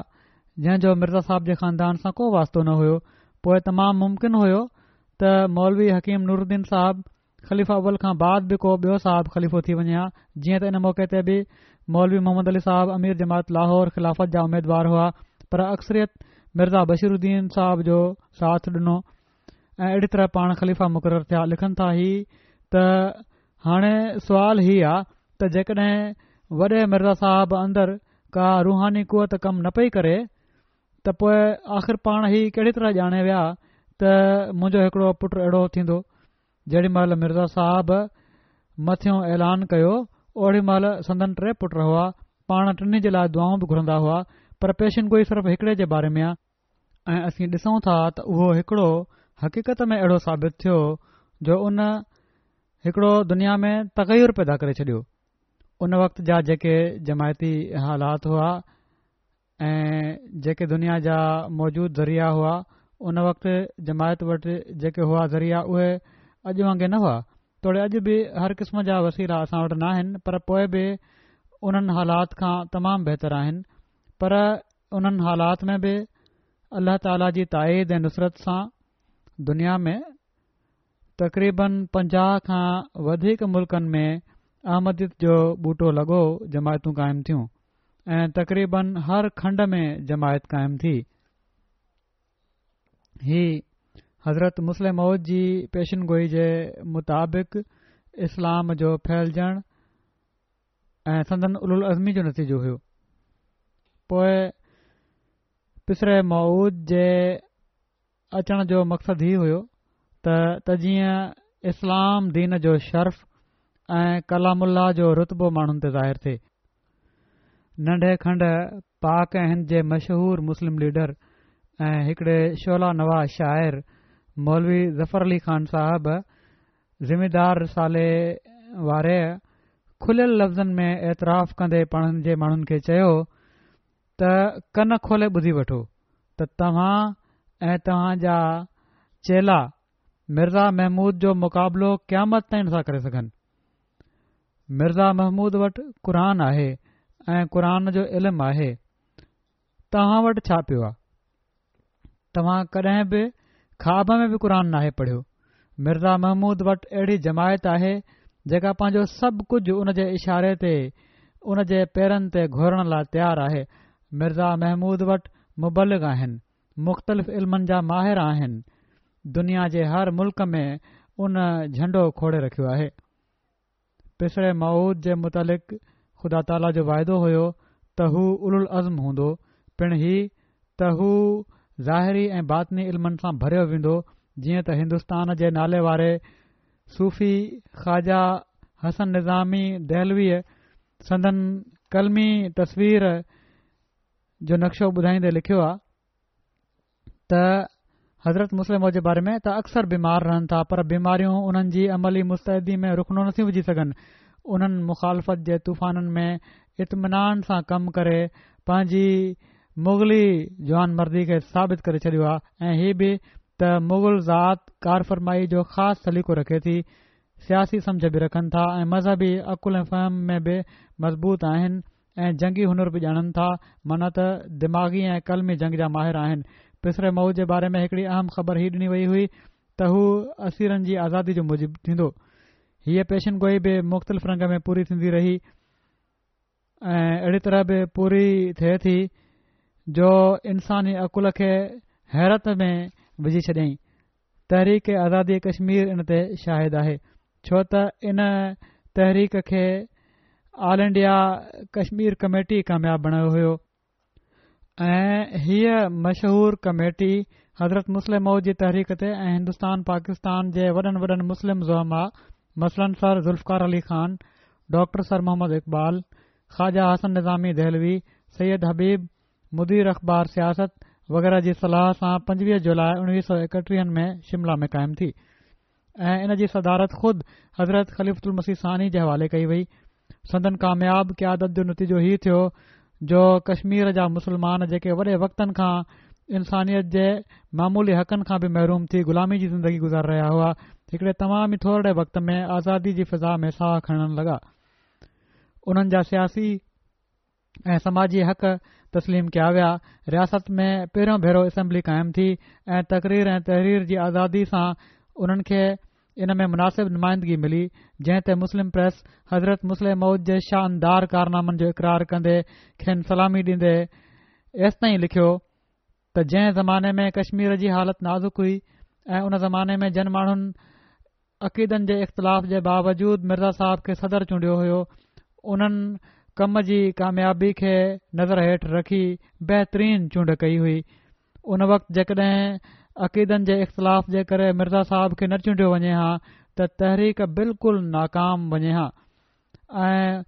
جنهن جو مرزا صاحب جي خاندان سان ڪو واسطو نه هيو، پوء تمام ممڪن هيو ته مولوي حڪيم نورالدين صاحب خليفه اول کان بعد به ڪو ٻيو صاحب خليفو ٿي وڃي ها، جيئن ته ان موقعي تي به مولوي محمد علي صاحب امير جماعت لاهور خلافت جا اميدوار هئا، پر اڪثريت مرزا بشير الدين صاحب جو ساٿ ڏنو ۽ اهڙي طرح پاڻ خليفه مقرر ٿيا. لکن ٿا هي ته هاڻي سوال هي آ ته جيڪڏهن وڏي مرزا صاحب اندر ڪا روحاني قوت ڪم نه پئي ڪري ته پوء آخر پاڻ هي ڪهڙي طرح ڄاڻي ويا ته منهنجو هڪڙو پٽ اهڙو ٿيندو؟ جيڏي مهل مرزا صاحب مٿيون اعلان ڪيو، اوڏي مهل سندن ٽي پٽ هئا، پاڻ ٽنهي جي لاء دعائون به گهرندا هئا، پر پيشن گوئي صرف هڪڙي جي باري ۾ آ، ۽ اسين ڏسون ٿا ته اهو هڪڙو حقيقت ۾ اهڙو ثابت ٿيو جو ان هڪڙو دنيا ۾ تغير پيدا ڪري ڇڏيو. ان وقت جا جيڪي جماعتي حالات هئا ۽ جيڪي دنيا جا موجود ذريعا هئا، ان وقت جماعت وٽ جيڪي هئا ذريعا اهي اڄ وانگي نه هئا، توڙي اڄ به هر قسم جا وسيلا اسان وٽ ناهن، پر پوء به انهن حالات کان تمام بهتر آهن، پر انهن حالات ۾ به الله تعاليٰ جي تائيد ۽ نصرت سان دنيا ۾ تقريباً پنجاهه کان وڌيڪ ملڪن ۾ احمديت جو ٻوٽو لڳو، جماعتون قائم ٿيون ۽ تقريباً هر کنڊ ۾ جماعت قائم ٿي. هي حضرت مصلح موعود جي پيشن گوئي جي مطابق اسلام جو ڦهلجڻ ۽ سندن اولوالعزمي جو نتيجو هيو. پوء پسر موعود جي اچڻ جو مقصد هي هيو ته ته جيئن اسلام دين جو شرف ۽ ڪلام الله جو رتبو ماڻهن تي ظاهر ٿئي. ننڍي کنڊ پاڪ ۽ هند جي مشهور مسلم ليڊر ۽ هڪڙي شعله نوا شاعر مولوي ظفر علي خان صاحب زميندار رسالي واري کليل لفظن ۾ اعتراف ڪندي پنهنجي ماڻهن کي چيو ته ڪن کولي ٻڌي وٺو ته توهان ۽ توهان جا چيلا مرزا محمود جو مقابلو قيامت تائين نٿا ڪري سگهن. مرزا محمود وٽ قرآن آهي ۽ قرآن جو علم آهي. توهان وٽ ڇا پيو آ؟ توهان ڪڏهن به خواب ۾ به قرآن ناهي پڙهيو. مرزا محمود وٽ اهڙي جماعت آهي جيڪا پنهنجو سڀ ڪجهه ان جي اشاري تي ان جي پيرن تي گهورڻ لاء تيار آهي. مرزا محمود وٽ مبلغ آهن، مختلف علمن جا ماهر آهن، دنيا جي هر ملڪ ۾ ان جهنڊو کوڙي رکيو آهي. پسر موعود جي متعلق خدا تعاليٰ جو وعدو هيو ته هو اولوالعزم هوندو، پڻ هي ته هو ظاهري ۽ باطني علمن سان ڀريو ويندو، جيئن ته هندستان جي نالي واري صوفي خواجه حسن نظامي دهلويء سندن قلمي تصوير جو نقشو ٻڌائيندي لکيو آهي ته حضرت مصلح موعود جي باري ۾ ته اڪثر بيمار رهن ٿا، پر بيماريون انهن جي عملي مستعدي ۾ رخنو نٿيون وجهي سگهن. انهن مخالفت جي طوفانن ۾ اطمينان سان ڪم ڪري پنهنجي مغلي جوان مردي کي ثابت ڪري ڇڏيو آهي، ۽ هي به ته مغل ذات ڪارفرمائي جو خاص سليقو رکي ٿي، سياسي سمجهه به رکن ٿا ۽ مذهبي عقل ۽ فهم ۾ به مضبوط آهن ۽ جنگي هنر به ڄاڻن ٿا، معنيٰ ته دماغي ۽ قلمي جنگ جا ماهر آهن. پسر موعود جي باري ۾ هڪڙي اهم خبر هي ڏني وئي هئي ته هو اسيرن جي آزادي جو موجب ٿيندو. هيء پيشن گوئي به مختلف رنگ ۾ پوري ٿيندي رهي ۽ اهڙي طرح به پوري ٿئي ٿي جو انساني عقل کي حيرت ۾ وجهي ڇڏيائين. تحريڪ آزادي ڪشمير ان تي شاهد آهي، ڇو ته ان تحريڪ کي آل انڊيا ڪشمير ڪميٽي ڪامياب بڻايو هيو، ۽ هيء مشهور ڪميٽي حضرت مصلح موعود جي تحريڪ تي ۽ هندستان پاڪستان جي وڏن وڏن مسلم زعماء مثلاً سر ذوالفقار علي خان، ڊاڪٽر سر محمد اقبال، خواجه حسن نظامي دهلوي، سيد حبيب، مدير اخبار سياست وغيره جي صلاح سان پنجويهه جولاء اڻويهه سؤ ايڪٽيهن ۾ شملا ۾ قائم ٿي ۽ ان جي صدارت خود حضرت خليفة المسيح ثاني جي حوالي ڪئي وئي. سندن ڪامياب قيادت جو نتيجو هي ٿيو جو ڪشمير جا مسلمان جيڪي وڏي وقتن کان انسانيت جي معمولي حقن کان به محروم ٿي غلامي جي زندگي گذاري رهيا هئا، هڪڙي تمام ئي ٿورڙي وقت ۾ آزادي جي فضا ۾ ساهه کڻڻ لڳا. انهن جا سياسي ۽ سماجي حق تسليم ڪيا ويا. رياست ۾ پهريون ڀيرو اسيمبلي قائم ٿي ۽ تقرير ۽ تحرير جي آزادي سان انهن کي ان ۾ مناسب نمائندگي ملي، جنهن تي مسلم پريس حضرت مصلح موعود جي شاندار ڪارنامن جو اقرار ڪندي کين سلامي ڏيندي ايستائين لکيو ته جنهن زماني ۾ ڪشمير جي حالت نازڪ هئي ۽ ان زماني ۾ جن ماڻهن عقيدن جي اختلاف جي باوجود مرزا صاحب کي صدر چونڊيو هيو، انهن ڪم جي ڪاميابي کي نظر هيٺ رکي بهترين چونڊ ڪئي هئي. ان وقت جيڪڏهن عقيدن جي اختلاف جي ڪري مرزا صاحب کي نه چونڊيو وڃي ها ته تحريڪ بلڪل ناڪام وڃي ها ۽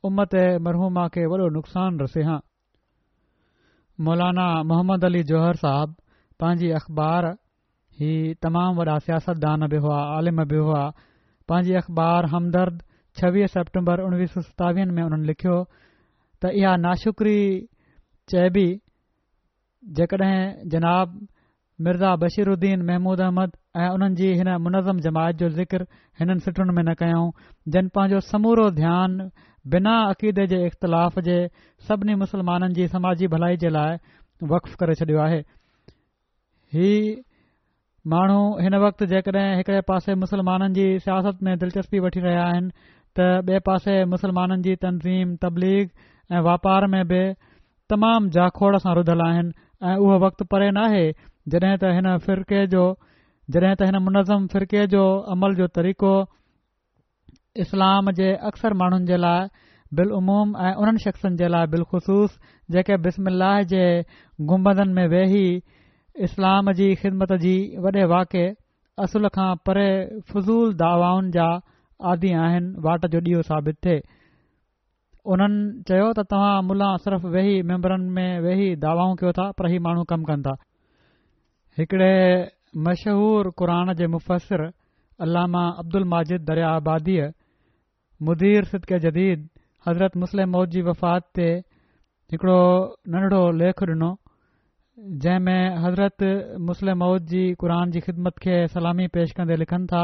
امت مرحومه کي وڏو نقصان رسي ها. مولانا محمد علي جوهر صاحب پنهنجي اخبار، هي تمام وڏا سياستدان به هئا، عالم به هئا، پنهنجي اخبار همدرد ڇويهه سيپٽمبر اڻويهه سؤ ستاويهن ۾ انهن لکيو ته اها ناشڪري چئبي جيڪڏهن جناب مرزا بشير الدين محمود احمد ۽ انهن جي هن منظم جماعت جو ذڪر هنن سٽن ۾ نه ڪيائون، جن پنهنجو سمورو ڌيان بنا عقيدي جي اختلاف جي سڀني مسلمانن جي سماجي ڀلائي جي لاء وقف ڪري ڇڏيو آهي. هي ماڻهو هن وقت جيڪڏهن هڪڙي پاسي مسلمانن جي سياست ۾ دلچسپي وٺي رهيا آهن ته ٻئي پاسي مسلمانن جي تنظيم، تبليغ ۽ واپار ۾ به تمام جاکوڙ سان رڌل آهن ۽ اهو وقت پري ناهي جڏهن ته هن فرقي جو جڏهن ته هن منظم فرقي جو عمل جو طريقو اسلام جي اڪثر ماڻهن جي لاء بالعموم ۽ انهن شخصن جي لاء بالخصوص جيڪي بسم الله جي گنبدن ۾ ويهي اسلام جي خدمت جي وڏي واڪي اصل کان پري فضول دعوائن جا عادي آهن، واٽ جو ڏيئو ثابت ٿئي. انهن چيو ته توهان ملان صرف ويهي منبرن ۾ ويهي دعوائون ڪيو ٿا پر هي ماڻهو ڪم ڪن ٿا. هڪڙي مشهور قرآن جي مفسر علامه عبدالماجد دريا آباديء مدير صدق جديد حضرت مصلح موعود جي وفات تي هڪڙو ننڍڙو ليک ڏنو جنهن ۾ حضرت مصلح موعود جي قرآن جي خدمت کي سلامي پيش ڪندي لکن ٿا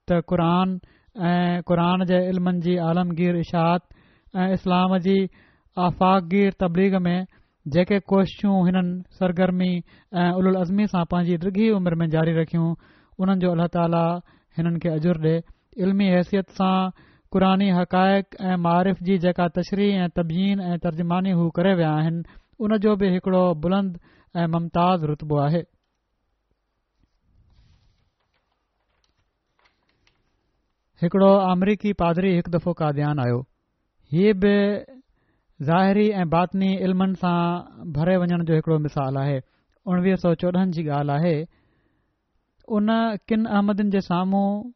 ته قرآن ۽ قرآن جي علمن جي عالمگير اشاعت ۽ اسلام جي آفاقگير تبليغ ۾ جيڪي ڪوششون هنن سرگرمي ۽ اولوالعزمي سان پنهنجي ڊگهي عمر ۾ جاري رکيون، انهن جو الله تعاليٰ هنن کي اجر ڏي. علمي حيثيت سان قرآني حقائق ۽ معارف جي جيڪا تشريح ۽ تبيين ۽ ترجماني هو ڪري ويا آهن، ان جو به هڪڙو بلند ۽ ممتاز رتبو آهي. هڪڙو آمريڪي پادري هڪ دفعو قاديان آيو. هي به ظاهري ۽ باطني علمن سان ڀري وڃڻ جو هڪڙو مثال آهي. اڻويهه سؤ چوڏهن جي ڳالهه آهي، ان ڪن احمدين جي سامهون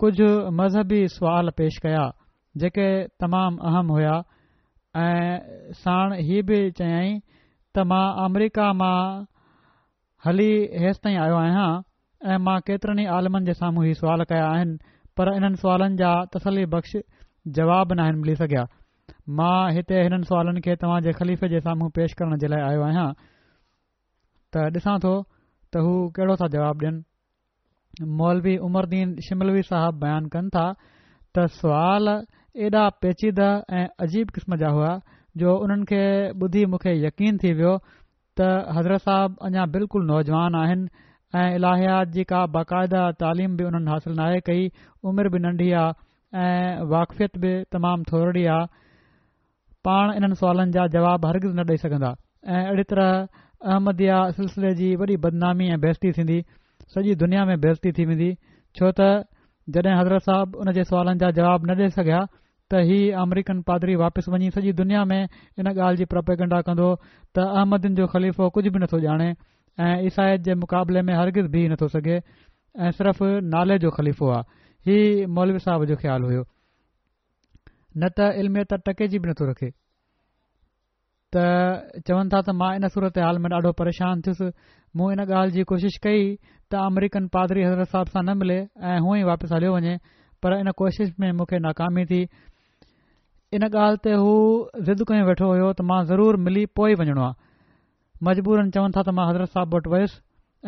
ڪجهه مذهبي سوال پيش ڪيا، جيڪي تمام اهم هيا ۽ ساڻ هي به چيائين ته مان آمريڪا مان هلي هيستائين آيو آهيان ۽ مان ڪيترن ئي عالمن جي سامهون هي سوال ڪيا آهن، پر انهن سوالن جا تسلي بخش جواب ناهن ملي سگهيا. مان هتي هنن سوالن کي توهان جي خليفي جي سامهون پيش ڪرڻ جي لاء آيو آهيان ته ڏسان ٿو ته هو ڪهڙو ٿا جواب ڏين. مولوي عمر دين شملوي صاحب بيان ڪن ٿا ته سوال ايڏا پيچيده ۽ عجيب قسم جا هئا جو انهن کي ٻڌي مون کي يقين ٿي ويو ته حضرت صاحب اڃا بلڪل نوجوان آهن ۽ الاهيات جي ڪا باقاعده تعليم به انهن حاصل ناهي ڪئي، عمر به ننڍي آ ۽ واقفيت به تمام ٿورڙي آ، پاڻ انهن سوالن جا جواب هرگز نه ڏئي سگهندا ۽ اهڙي طرح احمديه سلسلي جي وڏي بدنامي ۽ بيعزتي ٿيندي، سڄي دنيا ۾ بيعزتي ٿي ويندي، ڇو ته جڏهن حضرت صاحب ان جي سوالن جا جواب نه ڏئي سگهيا ته هي آمريڪن پادري واپس وڃي سڄي دنيا ۾ ان ڳالهه جي پروپيگنڊا ڪندو ته احمدين جو خليفو ڪجهه به نٿو ڄاڻي ۽ عيسائيت جي مقابلي ۾ هرگز بيهي نٿو سگهي ۽ صرف نالي جو خليفو آ. هي مولوي صاحب جو خيال هيو. نه ته علميت ٽڪي جي به نٿو رکي. ته چون ٿا ته مان ان صورتحال ۾ ڏاڍو پريشان ٿيس. مون ان ڳالهه جي ڪوشش ڪئي ته آمريڪن پادري حضرت صاحب سان نه ملي ۽ هونئن ئي واپس هليو وڃي، پر ان ڪوشش ۾ مون کي ناڪامي ٿي. ان ڳالهه تي هو ضد ڪيون ويٺو هيو ته مان ضرور ملي پوء ئي وڃڻو آ. مجبورن چون ٿا ته مان حضرت صاحب وٽ ويس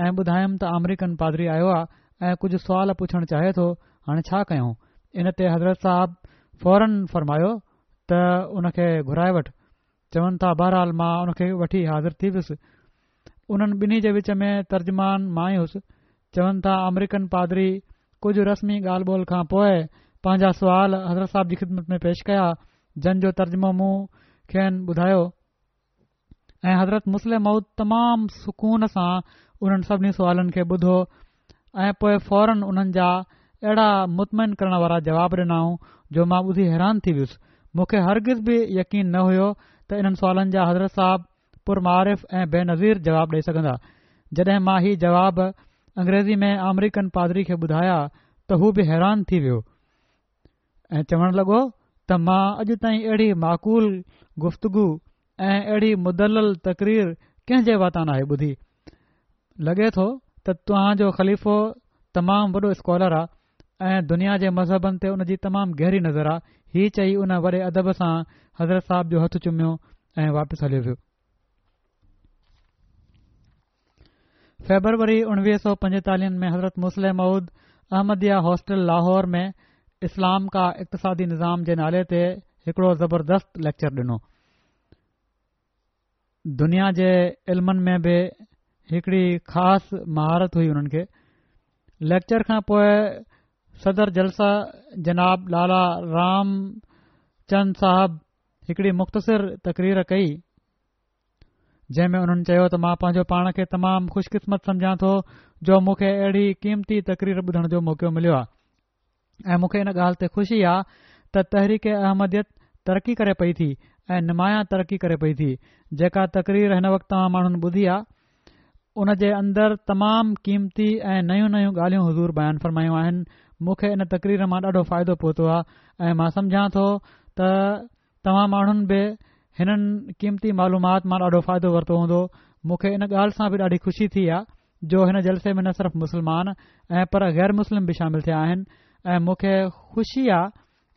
۽ ٻڌايم ته آمريڪن پادري آيو آ ۽ ڪجهه سوال پڇڻ چاهي ٿو، هاڻي ڇا ڪيون؟ ان تي حضرت صاحب فورن فرمايو ته ان کي گهرائي وٺ. چون ٿا بهرحال مان ان کي وٺي حاضر ٿي ويس. انهن ٻنهي جي وچ ۾ ترجمان مان ئي هيس. چون ٿا آمريڪن پادري ڪجهه رسمي ڳالهه ٻولهه کان پوء پنهنجا سوال حضرت صاحب جي خدمت ۾ پيش ڪيا، جن جو ترجمو مون کين ٻڌايو. ۽ حضرت مصلح موعود تمام سڪون سان انهن سڀني سوالن کي ٻڌو ۽ پوء فورن انهن جا اهڙا مطمئن ڪرڻ وارا جواب ڏنائون جو مان ٻڌي حيران ٿي ويس. مون کي هرگز به يقين نه هيو ته انهن سوالن جا حضرت صاحب پرمعارف ۽ بينظير جواب ڏئي سگهندا. جڏهن مان هي جواب انگريزي ۾ آمريڪن پادري کي ٻڌايا ته هو به حيران ٿي ويو ۽ چوڻ لڳو ته مان اڄ تائين اهڙي معقول گفتگو ۽ اهڙي مدلل تقرير ڪنهن جي واتان ناهي ٻڌي. لڳي ٿو ته توهان جو خليفو تمام وڏو اسڪالر آ ۽ دنيا جي مذهبن تي ان جي تمام گهري نظر آ. هي چئي ان وڏي ادب سان حضرت صاحب جو هٿ چميو ۽ واپس هليو ويو. فيبروري اڻويهه سؤ پنجيتاليهن ۾ حضرت مصلح موعود احمديه هاسٽل لاهور ۾ اسلام کا اقتصادي نظام جي نالي تي هڪڙو زبردست ليڪچر ڏنو. دنيا جي علمن ۾ به هڪڙي خاص مهارت هئي انهن کي. ليڪچر کان پوء صدر جلسه جناب لالا رام چند صاحب هڪڙي مختصر تقرير ڪئي، جنهن ۾ انهن چيو ته مان پنهنجو پاڻ کي تمام خوش قسمت سمجهان ٿو جو مون کي اهڙي قيمتي تقرير ٻڌڻ جو موقعو مليو آهي ۽ مون کي ان ڳالهه تي خوشي آهي ته تحريڪ احمديت ترقي ڪري پئي ٿي ۽ نمايان ترقي ڪري پئي ٿي. جيڪا تقرير هن وقت توهان ماڻهن ٻڌي آهي، ان جي اندر تمام قيمتي ۽ نيون نيون ڳالهيون حضور بيان فرمايون آهن. مون کي ان تقرير مان ڏاڍو فائدو پهتو آهي ۽ مان سمجهان ٿو ته توهان ماڻهن به هنن قيمتي معلومات مان ڏاڍو فائدو ورتو هوندو. مون کي ان ڳالهه سان به ڏاڍي خوشي ٿي آهي جو هن جلسي ۾ نه صرف مسلمان ۽ پر غير مسلم به شامل ٿيا آهن ۽ مون کي خوشي آهي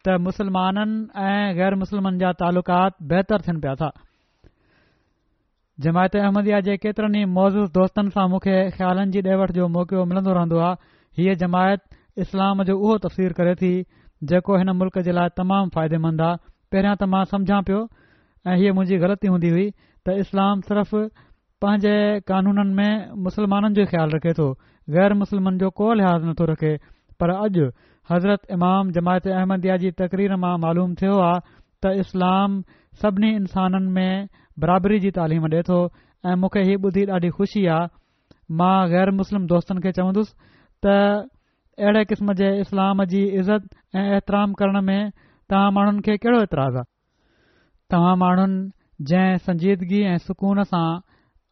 ته مسلمانن ۽ غير مسلمن جا تعلقات بهتر ٿين پيا ٿا. جماعت احمديه جي ڪيترن ئي معزز دوستن سان مون کي خيالن جي ڏي وٺ جو موقعو ملندو رهندو آهي. هيء جماعت اسلام جو اهو تفسير ڪري ٿي، جيڪو هن ملڪ جي لاء تمام فائديمند آهي. پهريان ته مان سمجهان پيو ۽ هيء منهنجي غلطي هوندي هئي ته اسلام صرف پنهنجي قانونن ۾ مسلمانن جو ئي خيال رکي ٿو، غير مسلمن جو ڪو لحاظ نٿو رکي، پر اڄ حضرت امام جماعت احمديه جي تقرير مان معلوم ٿيو آ ته اسلام سڀني انسانن ۾ برابري جي تعليم ڏي ٿو ۽ مون کي هي ٻڌي ڏاڍي خوشي آ. مان غير مسلم دوستن کي چوندس ته اهڙي قسم جي اسلام جي عزت ۽ احترام ڪرڻ ۾ توهان ماڻهن کي ڪهڙو اعتراض آ؟ توهان ماڻهن جنهن سنجيدگي ۽ سڪون سان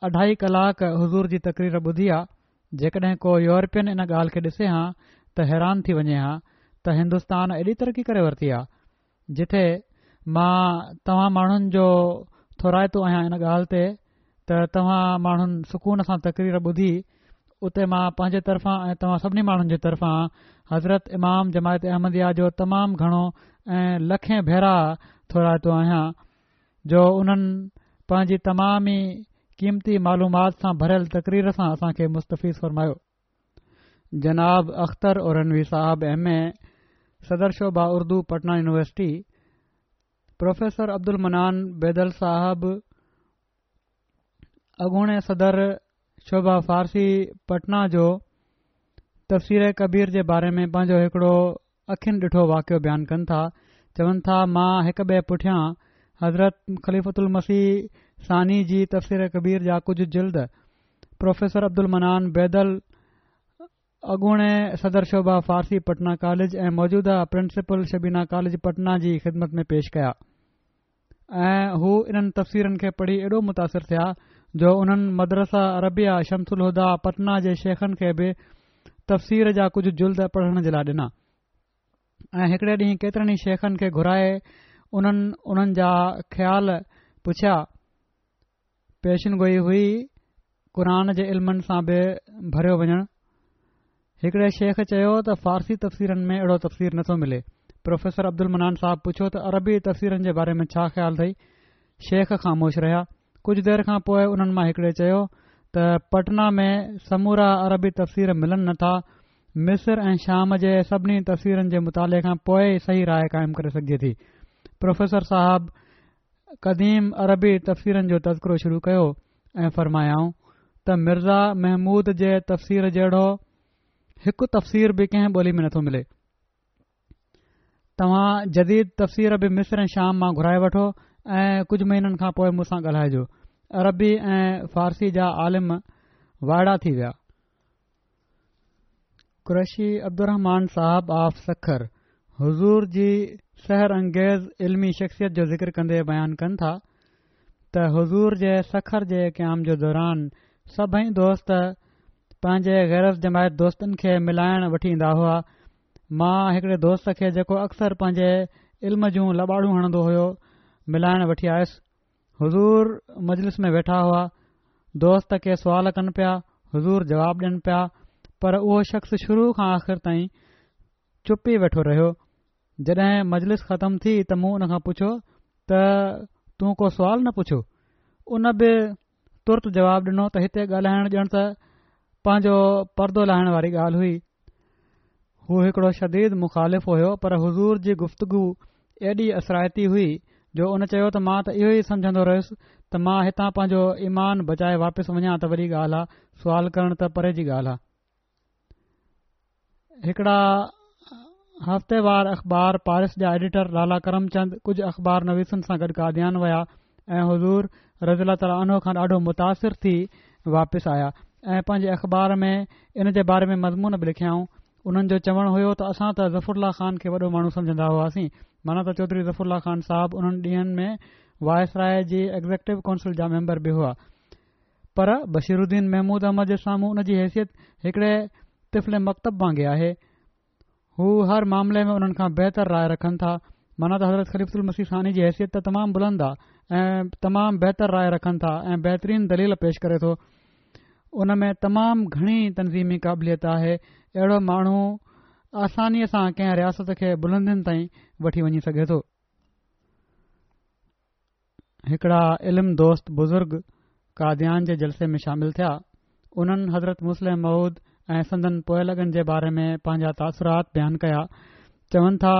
اڍائي ڪلاڪ حضور جي تقرير ٻڌي آ، جيڪڏهن ڪو يورپين ان ڳالهه کي ڏسي هان ته حيران ٿي وڃي هان ته هندستان ايڏي ترقي ڪري ورتي آ، جتي مان توهان ماڻهن جو ٿورائتو آهيان ان ڳالهه تي ته توهان ماڻهن سڪون سان تقرير ٻڌي، اتي مان پنهنجي طرفان ۽ توهان سڀني ماڻهن جي طرفان حضرت امام جماعت احمديه جو تمام گهڻو ۽ لکين ڀيرا ٿورائتو آهيان جو انهن پنهنجي تمام ئي قيمتي معلومات سان ڀريل تقرير سان اسان کي مستفيض فرمايو. جناب اختر اورنوي صاحب ايم اي، صدر شعبه اردو پٽنا يونيورسٽي، پروفيسر عبدالمنان بيدل صاحب اڳوڻي صدر شعبه فارسي پٽنا جو تفسير ڪبير جي باري ۾ پنهنجو هڪڙو اکين ڏٺو واقعو بيان ڪن ٿا. چون ٿا مان هڪ ٻئي پٺيان حضرت خليفة المسيح ثاني جي تفسير ڪبير جا ڪجهه جلد پروفيسر عبدالمنان بيدل اڳوڻي صدر شعبه فارسي پٽنا ڪاليج ۽ موجوده پرنسپل شبينا ڪاليج پٽنا جي خدمت ۾ پيش ڪيا ۽ هو انهن تفسيرن کي پڙهي ايڏو متاثر ٿيا جو انهن مدرسه عربيه شمس الهديٰ پٽنا جي شيخن کي به تفسير جا ڪجهه جلد پڙهڻ جي لاء ڏنا ۽ هڪڙي ڏينهن ڪيترن ئي شيخن کي گهرائي انهن انهن جا خيال پڇيا. پيشن گوئي هئي قرآن جي علمن سان به ڀريو وڃڻ. هڪڙي شيخ چيو ته فارسي تفسيرن ۾ اهڙو تفسير نٿو ملي. پروفيسر عبدالمنان صاحب پڇيو ته عربي تفسيرن جي باري ۾ ڇا خيال اٿئي؟ شيخ خاموش رهيا. ڪجهه دير کان پوء انهن مان هڪڙي چيو ته پٽنا ۾ سمورا عربي تفسير ملن نٿا، مصر ۽ شام جي سڀني تفسيرن جي مطالعي کان پوء ئي صحيح راء قائم ڪري سگهجي ٿي. پروفيسر صاحب قديم عربي تفسيرن جو تذڪرو شروع ڪيو ۽ فرمايائون ته مرزا محمود جي تفسير جهڙو هڪ تفسير به ڪنهن ٻولي ۾ نٿو ملي. توهان جديد تفسير به مصر ۽ شام مان گهرائي وٺو ۽ ڪجهه مهينن کان پوء مون سان ڳالهائجو. عربي ۽ فارسي جا عالم وائڙا ٿي ويا. قريشي عبدالرحمان صاحب آف سکر حضور جي سحر انگيز علمي شخصيت جو ذڪر ڪندي بيان ڪن ٿا ته حضور جي سکر جي قيام جي دوران سڀئي دوست پنهنجي غير از جماعت دوستن کي ملائڻ وٺي ايندا هئا. مان هڪڙي دوست کي جيڪو اڪثر پنهنجي علم جون لٻاڙون هڻندو هيو ملائڻ وٺي آيس. حضور مجلس ۾ ويٺا هئا، دوست ڪي سوال ڪن پيا، حضور جواب ڏين پيا، پر اهو شخص شروع کان آخر تائين چپ ئي ويٺو رهيو. جڏهن مجلس ختم ٿي ته مون ان کان پڇيو ته تون ڪو سوال نه پڇيو؟ ان به ترت جواب ڏنو ته هتي ڳالهائڻ ڄڻ ته پنهنجو پردو لاهڻ واري ڳالهه هئي. هو هڪڙو شديد مخالف هيو پر حضور جي گفتگو ايڏي اثرائتي هئي جو ان چيو ته مان ته اهو ئي سمجهندو رهيس ته مان هتان پنهنجو ايمان بچائي واپس وڃان ته وڏي ڳالهه آ، سوال ڪرڻ ته پري جي ڳالهه آ. هڪڙا هفتيوار اخبار پارس جا ايڊيٽر لالا ڪرم چند ڪجهه اخبار نويسن سان گڏ قاديان ويا ۽ حضور رضي الله تعالٰي عنه کان ڏاڍو متاثر ٿي واپس آيا ۽ پنهنجي اخبار ۾ ان جي باري ۾ مضمون به لکيائون. انهن جو چوڻ هيو ته اسان ته ظفر الله خان کي وڏو ماڻهو سمجهندا هئاسين، معنيٰ ته چوڌري ظفر الله خان صاحب انهن ڏينهن ۾ وائسراء جي ايگزيڪٽو ڪونسل جا ميمبر به هئا، پر بشير الدين محمود احمد جي سامهون ان جي حيثيت هڪڙي طفل مڪتب وانگي آهي. هو هر معاملي ۾ انهن کان بهتر راء رکن ٿا. معنيٰ ته حضرت خليفة المسيح ثاني جي حيثيت ته تمام بلند آ ۽ تمام بهتر راء رکن ٿا ۽ بهترين دليل پيش ڪري ٿو. ان ۾ تمام گهڻي تنظيمي قابليت آهي. اهڙو ماڻهو آسانيء سان ڪنهن رياست کي بلندين تائين وٺي وڃي سگهي ٿو. هڪڙا علم دوست بزرگ قاديان جي جلسي ۾ شامل ٿيا. انهن حضرت مصلح موعود ۽ سندن پوئلڳن جي باري ۾ پنهنجا تاثرات بيان ڪيا. چون ٿا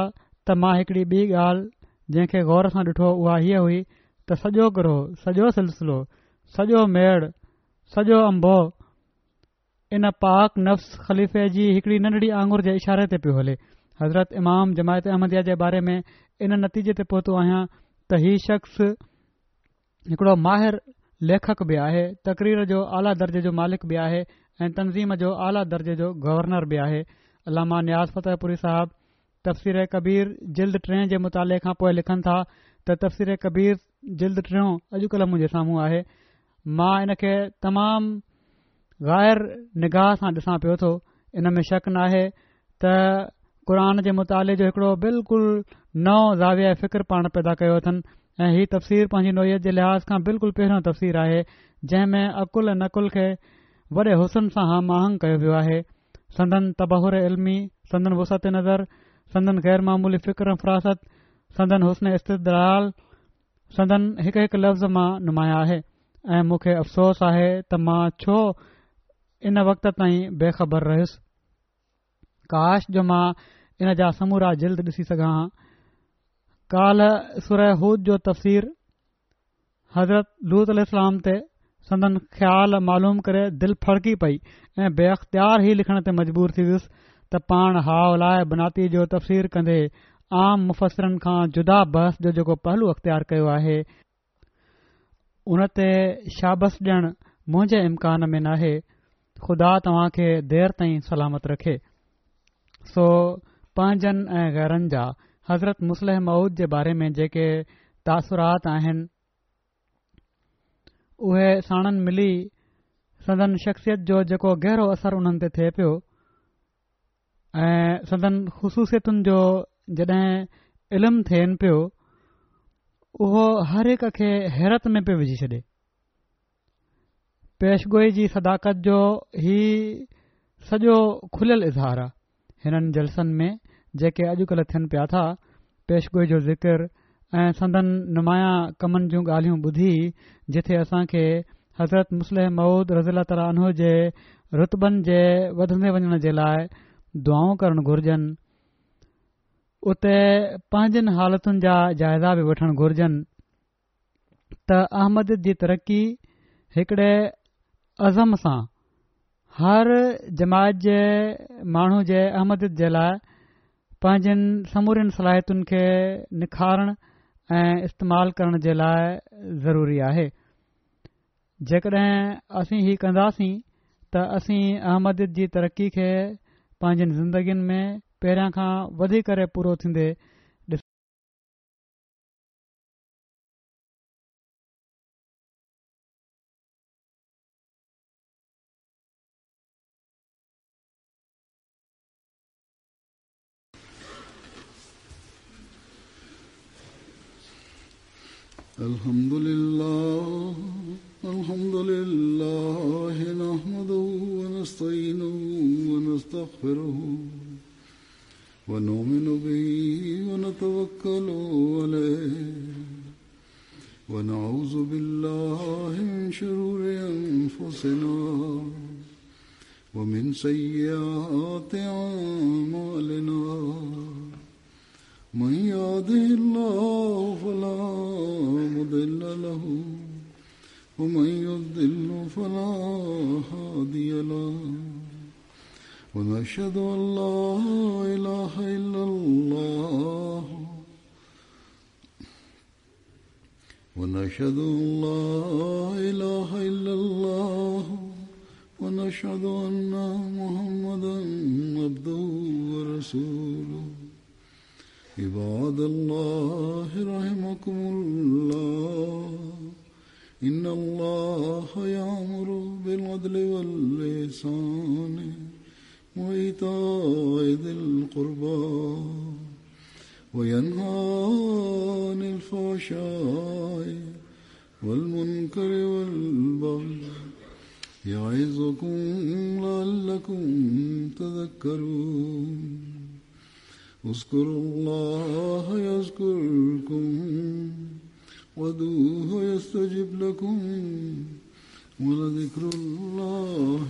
ته مان هڪڙي ٻي ڳالهه جنهن کي غور سان ڏٺو اها هيء هئي ته سڄو گروهه، سڄو سلسلو، سڄو ميڙ، سڄو انبوهه ان پاڪ نفس خليفي جي هڪڙي ننڍڙي آڱر جي اشاري تي پيو هلي. حضرت امام جماعت احمديه جي باري ۾ ان نتيجي تي پهتو آهيان ته هي شخص هڪڙو ماهر ليکڪ به آهي، تقرير جو اعليٰ درجي جو مالڪ به آهي ۽ تنظيم جو اعليٰ درجي جو گورنر به آهي. علامه نياز فتح پوري صاحب تفسير ڪبير جلد ٽئين جي مطالعي کان پوء لکن ٿا ته تفسير ڪبير جلد ٽيون اڄڪلهه منهنجي سامهون آهي. مان ان کي تمام غير نگاهه سان ڏسان پيو ٿو. ان ۾ شڪ ناهي ته قرآن جي مطالعي جو هڪڙو بلڪل نئون زاويه فڪر پاڻ پيدا ڪيو اٿن ۽ هي تفسير پنهنجي نوعيت جي لحاظ کان بلڪل پهريون تفسير آهي جنهن ۾ عقل ۽ نقل کي وڏي حسن سان هم آهنگ ڪيو ويو آهي. سندن تبحر علمي، سندن وسعت نظر، سندن غير معمولي فڪر ۽ فراست، سندن حسن استدلال سندن هڪ هڪ لفظ مان نمايان آهي ۽ مون کي افسوس آهي ته مان ڇو ان وقت تائين بي خبر رهيس. ڪاش جو مان ان جا سمورا جلد ڏسي سگهان ها. ڪالهه سوره هود جو تفسير حضرت لوط عليه السلام تي سندن خيال معلوم ڪري دل ڦڙڪي پئي ۽ بي اختيار هي لکڻ تي مجبور ٿي ويس ته پاڻ هؤلاء بناتي جو تفسير ڪندي عام مفسرن کان جدا بحث جو جيڪو پهلو اختيار ڪيو آهي ان تي شابس ڏيڻ منهنجي امڪان ۾ ناهي. خدا توهان کي دير تائين سلامت رکي. سو پنهنجن ۽ غيرن جا حضرت مصلح موعود جي باري ۾ جيڪي تاثرات آهن اهي ساڻن ملي سندن شخصيت جو جيڪو گهرو اثر انهن تي ٿئي پيو ۽ سندن خصوصيتن جو جڏهن علم ٿين پيو اهو هر هڪ کي حيرت ۾ پيو وجهي ڇڏي. پيشگوئي جي صداقت جو هي سڄو کليل اظهار آهي. هنن جلسن ۾ جيڪي اڄڪلهه ٿين پيا ٿا، پيشگوئي جو ذڪر ۽ سندن نمايان ڪمن جون ڳالهيون ٻڌي جٿي اسان کي حضرت مصلح موعود رضي الله تعالٰي عنه جي رتبن جي وڌندي وڃڻ جي لاءِ دعائون ڪرڻ گهرجن، اتي پنهنجن حالتن جا جائزا به وٺڻ گهرجن ته احمديت جي ترقي هڪڙي عزم سان هر جماعت جي ماڻهو جي احمديت جي لاءِ پنهنجن سمورين صلاحيتن کي نکارڻ ۽ استعمال ڪرڻ جي لاءِ ضروري آهي. جيڪڏهن اسين هي ڪنداسين ته اسين احمديت جي ترقي کي پنهنجين زندگين ۾ پهريان کان وڌي ڪري پورو ٿيندي الحمد لله الحمد لله نحمده ونستعينه ونستغفره ونؤمن به ونتوكل عليه ونعوذ بالله من شرور أنفسنا ومن سيئات أعمالنا من يهده الله فلا مضل له ومن يضلل فلا هادي له ونشهد أن لا إله إلا الله ونشهد أن لا إله إلا الله ونشهد أن محمدا عبده ورسوله. عباد الله رحمكم الله، إن الله يأمر بالعدل والإحسان وإيتاء ذي القربى وينهى عن الفحشاء والمنكر والبغي يعظكم لعلكم تذكرون. اذكروا الله يذكركم وادعوه يستجب لكم ولذكر الله